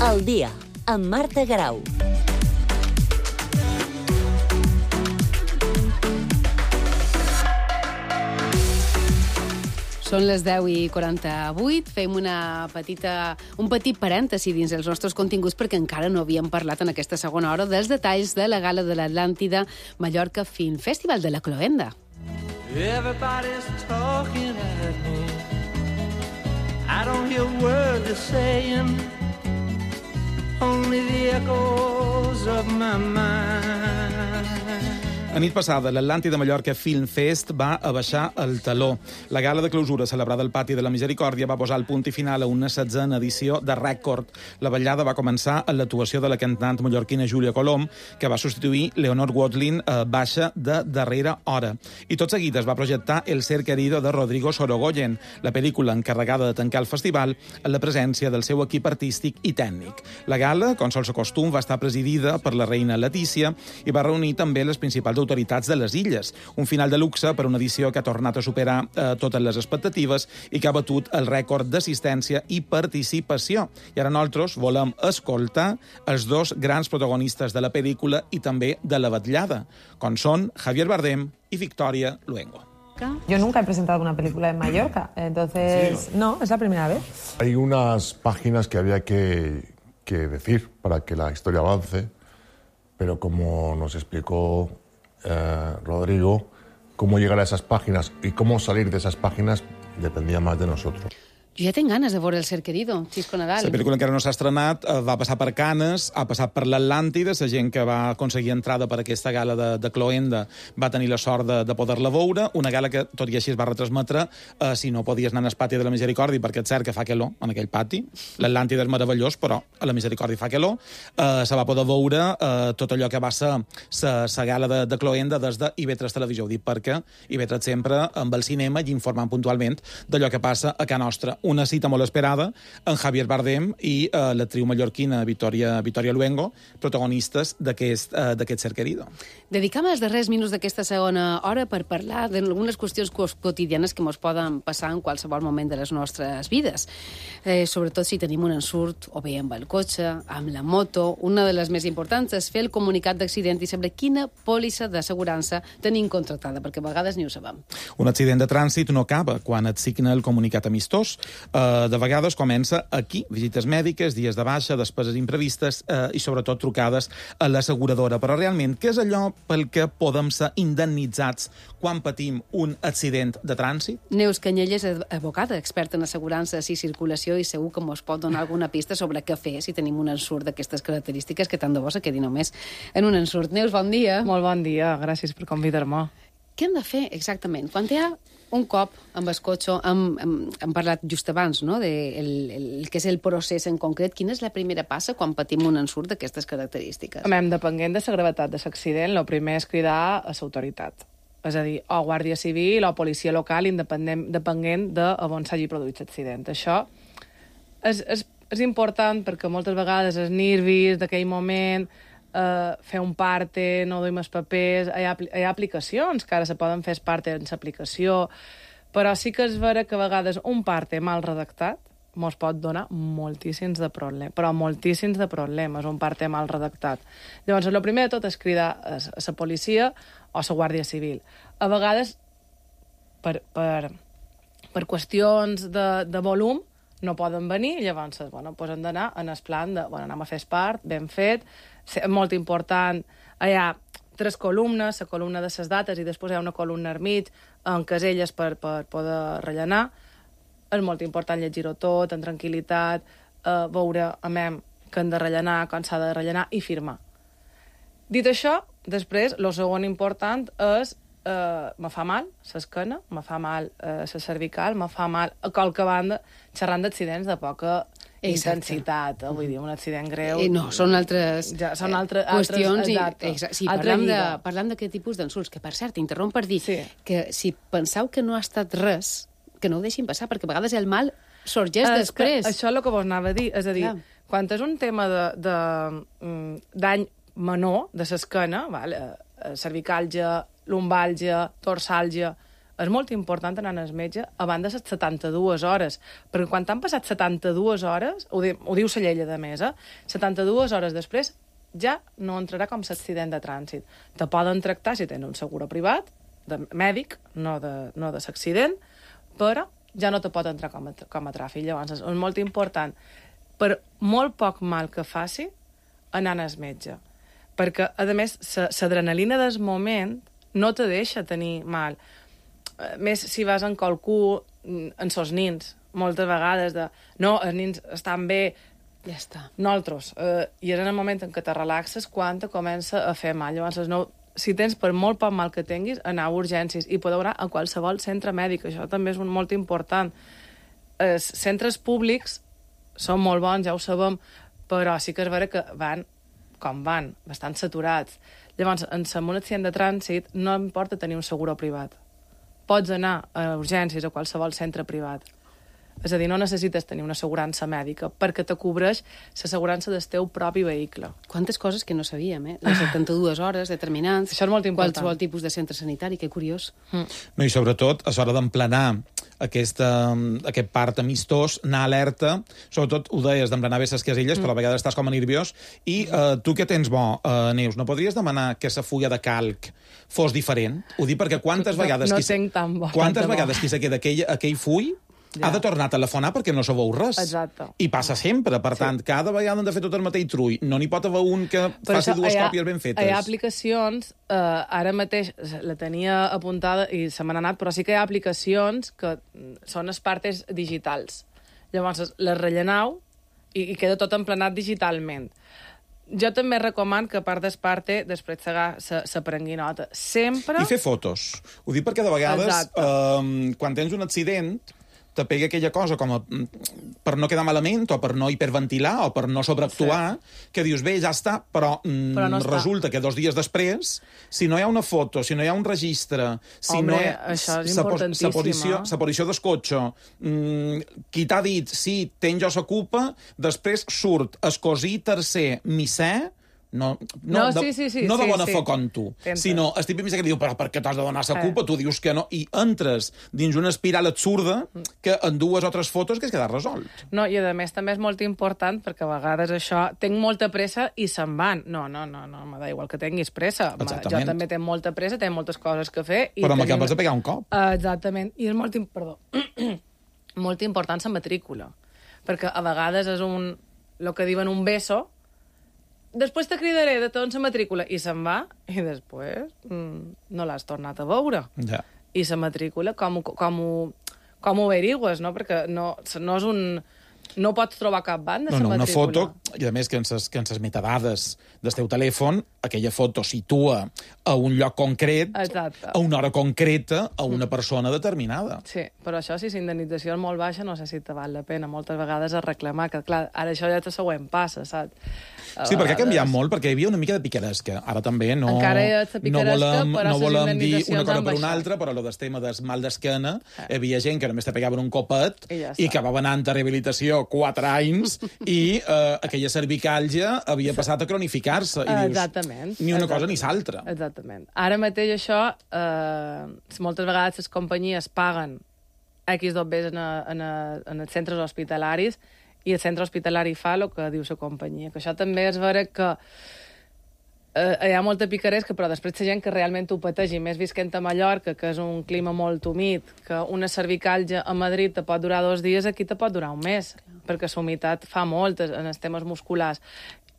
El dia, amb Marta Garau. Són les deu i quaranta-vuit. Fem una petita, un petit parèntesi dins els nostres continguts perquè encara no havíem parlat en aquesta segona hora dels detalls de la gala de l'Atlàntida Mallorca Film Festival de la Cloenda. Everybody's talking at me. I don't hear a word they're saying. Only the echoes of my mind. La nit passada, l'Atlàntida Mallorca Film Fest va abaixar el teló. La gala de clausura celebrada al Pati de la Misericòrdia va posar el punt i final a una setzena edició de Rècord. La ballada va començar amb l'actuació de la cantant mallorquina Júlia Colom, que va substituir Leonor Watling a baixa de darrera hora. I tot seguit es va projectar El ser querido de Rodrigo Sorogoyen, la pel·lícula encarregada de tancar el festival en la presència del seu equip artístic i tècnic. La gala, com sol ser costum, va estar presidida per la reina Letícia i va reunir també les principals autoritats de les illes. Un final de luxe per una edició que ha tornat a superar eh, totes les expectatives i que ha batut el rècord d'assistència i participació. I ara nosaltres volem escoltar els dos grans protagonistes de la pel·lícula i també de la vetllada, com són Javier Bardem i Victoria Luengo. Yo nunca he presentado una película en Mallorca, entonces sí. No, es la primera vez. Hay unas páginas que había que, que decir para que la historia avance, pero como nos explicó Eh, Rodrigo, cómo llegar a esas páginas y cómo salir de esas páginas dependía más de nosotros. Jo ja tinc ganes de veure El ser querido, Xisco Nadal. La pel·lícula encara no s'ha estrenat, va passar per Canes, ha passat per l'Atlàntida, la gent que va aconseguir entrada per aquesta gala de, de Cloenda va tenir la sort de, de poder-la veure, una gala que tot i així es va retransmetre eh, si no podies anar al Pati de la Misericòrdia, perquè és cert que fa calor en aquell pati, l'Atlàntida és meravellós, però a la Misericòrdia fa calor, eh, se va poder veure eh, tot allò que va ser la gala de, de Cloenda des de I V tres Televisió, ho dic perquè I V tres sempre amb el cinema i informant puntualment d'allò que passa a casa nostra. Una cita molt esperada en Javier Bardem i uh, l'actriu mallorquina Victoria, Victoria Luengo, protagonistes d'aquest uh, d'aquest ser querido. Dedicam els darrers minuts d'aquesta segona hora per parlar d'algunes qüestions quotidianes que ens poden passar en qualsevol moment de les nostres vides. Eh, sobretot si tenim un ensurt, o bé amb el cotxe, amb la moto. Una de les més importants és fer el comunicat d'accident i saber quina pòlissa d'assegurança tenim contractada, perquè a vegades ni ho sabem. Un accident de trànsit no acaba quan et signa el comunicat amistós. Eh, de vegades comença aquí, visites mèdiques, dies de baixa, despeses imprevistes eh, i sobretot trucades a l'asseguradora. Però realment, què és allò pel que podem ser indemnitzats quan patim un accident de trànsit? Neus Canyelles, advocada, experta en assegurances i circulació, i segur que ens pot donar alguna pista sobre què fer si tenim un ensurt d'aquestes característiques, que tant de bo se quedi només en un ensurt. Neus, bon dia. Molt bon dia, gràcies per convidar-me. Què hem de fer exactament? Quan hi ha un cop amb el cotxe, hem, hem, hem parlat just abans, no?, de el, el, el que és el procés en concret. Quina és la primera passa quan patim un ensurt d'aquestes característiques? Home, depenent de la gravetat de l'accident, el primer és cridar a l'autoritat. És a dir, o Guàrdia Civil o Policia Local, independent, depenent de on s'hagi produït l'accident. Això és, és, és important perquè moltes vegades els nervis d'aquell moment, Uh, fer un parte, no duim els papers, hi ha, hi ha aplicacions que ara se poden fer parte en l'aplicació, però sí que és vera que a vegades un parte mal redactat mos pot donar moltíssims de problemes, però moltíssims de problemes, un parte mal redactat. Llavors, el primer de tot és cridar a la policia o a la Guàrdia Civil. A vegades, per, per, per qüestions de, de volum, no poden venir, llavors bueno, pues hem d'anar en el plan de, bueno, anem a fer part, ben fet, molt important, hi ha tres columnes, la columna de les dates i després hi ha una columna al mig amb caselles per, per poder rellenar. És molt important llegir-ho tot, en tranquil·litat, eh, veure amem, que hem de rellenar, quan s'ha de rellenar i firmar. Dit això, després, el segon important és Uh, me fa mal l'esquena, me fa mal uh, la cervical, me fa mal a qualque banda, xerrant d'accidents de poca Exacte. intensitat, eh? Vull dir, un accident greu... Eh, no, són altres ja, són altre, qüestions. Altres, i, sí, parlem, de, parlem d'aquest tipus d'insults, que per cert, interromp per dir sí. que si penseu que no ha estat res, que no ho deixin passar, perquè a vegades el mal sorgeix es després. Que, això és el que vos anava a dir, és a dir, Clar. quan és un tema de, de, de dany menor de l'esquena, vale, cervicàlgia, lumbàlgia, torsàlgia, és molt important anar al metge abans de les setanta-dues hores, perquè quan t'han passat setanta-dues hores, ho, di, ho diu la llei de més, eh? setanta-dues hores després ja no entrarà com l'accident de trànsit. Te poden tractar si tens un seguro privat, de mèdic, no de, no de l'accident, però ja no te pot entrar com a, com a tràfic. Llavors, és molt important, per molt poc mal que faci, anar al metge. Perquè, a més, l'adrenalina del moment no te deixa tenir mal. Més si vas en qualcú, en sos nins, moltes vegades, de no, els nins estan bé, ja està. Nosaltres. Eh, I és en el moment en què te relaxes quan te comença a fer mal. Llavors, no, si tens per molt poc mal que tinguis, anar a urgències i poder anar a qualsevol centre mèdic. Això també és molt important. Els centres públics són molt bons, ja ho sabem, però sí que és vera que van com van, bastant saturats. Llavors, en un accident de trànsit no importa tenir un seguro privat. Pots anar a urgències a qualsevol centre privat. És a dir, no necessites tenir una assegurança mèdica perquè te cobreix l'assegurança del teu propi vehicle. Quantes coses que no sabíem, eh? Les setanta-dues hores determinants. Això és molt important. Qualsevol tipus de centre sanitari, que curiós. Mm. No, i sobretot, a l'hora d'emplenar aquesta, aquest part amistós, anar alerta, sobretot ho deies, d'emplenar bé les casilles, mm. però a vegades estàs com a nerviós, i uh, tu que tens bo, uh, Neus, no podries demanar que la fulla de calc fos diferent? Ho dic perquè quantes vegades... No, no qui, tinc tan bo. Quantes tan vegades bo. qui se queda aquell, aquell full ja. ha de tornar a telefonar perquè no sabeu res. Exacte. I passa sempre. Per tant, sí. cada vegada han de fer tot el mateix trull. No n'hi pot haver un que per faci això, dues hi ha, còpies ben fetes. Hi ha aplicacions, eh, ara mateix la tenia apuntada i se m'ha anat, però sí que hi ha aplicacions que són les partes digitals. Llavors, les rellenau i, i queda tot emplenat digitalment. Jo també recoman que, a part d'esparte, després se, se prengui nota. Sempre... I fer fotos. Ho dic perquè de vegades, eh, quan tens un accident, te pega aquella cosa com a, per no quedar malament, o per no hiperventilar, o per no sobreactuar, sí. que dius, bé, ja està, però, mm, però no resulta que dos dies després, si no hi ha una foto, si no hi ha un registre, si Hombre, no hi ha... això és importantíssim. Sa posició, sa posició del cotxe, mm, qui t'ha dit, sí, ten jo sa culpa, després surt escosir tercer misser, no, no, no, de, sí, sí, sí, no de sí, bona sí. fe com tu, Tenta. sinó el típic que diu, però per què t'has de donar sa culpa? Eh. Tu dius que no, i entres dins una espiral absurda que en dues o tres fotos que es queda resolt. No, i a més també és molt important perquè a vegades això, tinc molta pressa i se'n van. No, no, no, no m'ha igual que tinguis pressa. Jo també tinc molta pressa, tinc moltes coses que fer. I però tenim... m'acabes de pegar un cop. Uh, exactament, i és molt, perdó, molt important la matrícula, perquè a vegades és un, el que diuen un beso, després te cridaré de tot la matrícula, i se'n va, i després mm, no l'has tornat a veure. Ja. I la matrícula, com, com, ho, com ho averigües, no? Perquè no, no és un... No pots trobar cap banda, no, no, la matrícula. Una foto, i a més que en ses metadades del teu telèfon, aquella foto situa a un lloc concret, exacte, a una hora concreta, a una persona determinada. Sí, però això, si la indemnització és molt baixa, no sé si te val la pena. Moltes vegades a reclamar, que clar, ara això ja te següent passa, saps? Sí, perquè ha canviat molt, perquè hi havia una mica de picaresca. Ara també no, Encara hi ha no volem, però no volem dir una cosa per baixat. una altra, però el tema del mal d'esquena, eh. hi havia gent que només te pegaven un copet i, ja i acabava anant a rehabilitació quatre anys i eh, aquella cervicàlgia havia passat a cronificar-se. I dius, exactament. Ni una exactament. cosa ni l'altra. Exactament. Ara mateix això, eh, moltes vegades les companyies paguen X dobbers en, a, en, a, en els centres hospitalaris i el centre hospitalari fa el que diu la companyia. Que això també és vera que eh, hi ha molta picaresca, però després la gent que realment ho pateix, i més visquent a Mallorca, que és un clima molt humit, que una cervicàlgia a Madrid te pot durar dos dies, aquí te pot durar un mes, perquè la humitat fa molt en els temes musculars.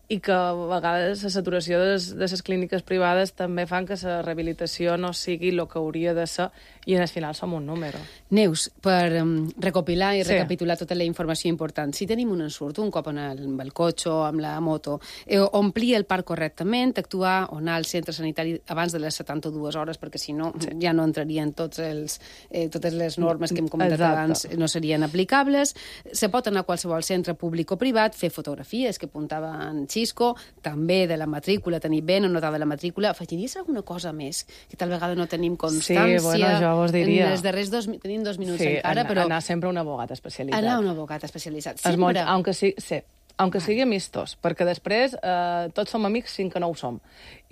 I que a vegades la saturació de les, de les clíniques privades també fan que la rehabilitació no sigui el que hauria de ser i al final som un número. Neus, per um, recopilar i sí. recapitular tota la informació important, si tenim un ensurt, un cop en el, amb el cotxe o amb la moto, eh, omplir el parc correctament, actuar o anar al centre sanitari abans de les setanta-dues hores, perquè si no sí. ja no entrarien tots els, eh, totes les normes que hem comentat Exacte. abans, no serien aplicables. Se pot anar a qualsevol centre públic o privat, fer fotografies, que apuntava en Xisco, també de la matrícula, tenir ben anotada la matrícula. Afegiries alguna cosa més, que tal vegada no tenim constància? Sí, bueno, jo vos diria. En els darrers dos, tenim dos minuts sí, encara, anar, però... anar sempre a un abogat especialitzat. Anar a un abogat especialitzat. Sempre. Molt, aunque sí, sí, aunque sigui amistós, perquè després eh, tots som amics fins que no ho som.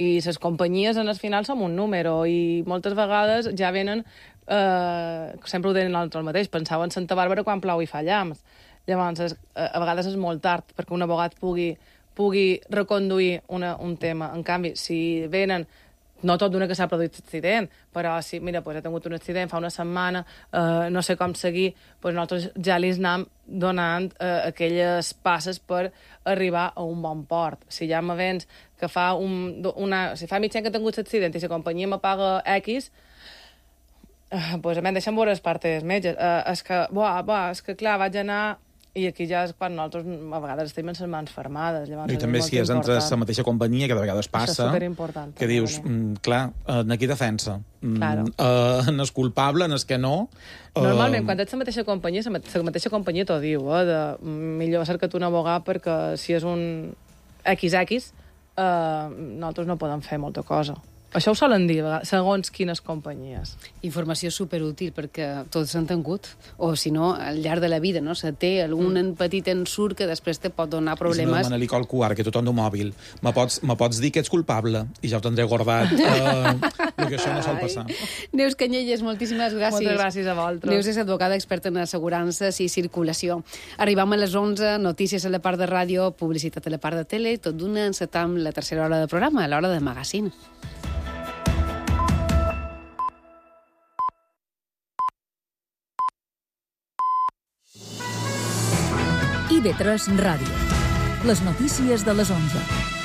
I les companyies en el final som un número, i moltes vegades ja venen, eh, sempre ho deien l'altre el mateix, pensava en Santa Bàrbara quan plou i fa llamps. Llavors, és, a vegades és molt tard perquè un abogat pugui, pugui reconduir una, un tema. En canvi, si venen no tot d'una que s'ha produït accident, però sí, mira, pues, he tingut un accident fa una setmana, eh, no sé com seguir, pues, nosaltres ja li anem donant eh, aquelles passes per arribar a un bon port. Si ja m'avens que fa un, una... Si fa mig any que he tingut accident i la companyia me paga X, eh, pues, a mi em deixen veure les partes metges. Eh, és que, buah, buah, és que clar, vaig anar... I aquí ja és quan nosaltres a vegades estem en les mans fermades. Llavors, I també si és entre la mateixa companyia, que de vegades passa, això és superimportant. Que dius, mm, clar, en aquí defensa. Mm, claro. uh, en és culpable, en és que no... Uh... Normalment, quan ets la mateixa companyia, la mateixa companyia t'ho diu, eh, de millor cerca't un abogat perquè si és un equis equis, eh, nosaltres no podem fer molta cosa. Això ho solen dir, segons quines companyies. Informació superútil, perquè tots s'han tingut, o si no, al llarg de la vida, no? Se té algun mm. petit ensurt que després te pot donar problemes. I si no, Manelico Alcuar, que tothom d'un mòbil, me pots, me pots dir que ets culpable i ja ho tindré guardat, uh, perquè això no sol passar. Neus Canyelles, moltíssimes gràcies. Moltes gràcies a vosaltres. Neus és advocada experta en assegurances i circulació. Arribam a les onze, notícies a la part de ràdio, publicitat a la part de tele, tot d'una encetam la tercera hora de programa, a l'hora de magazine. I ve tres Ràdio. Les notícies de les onze.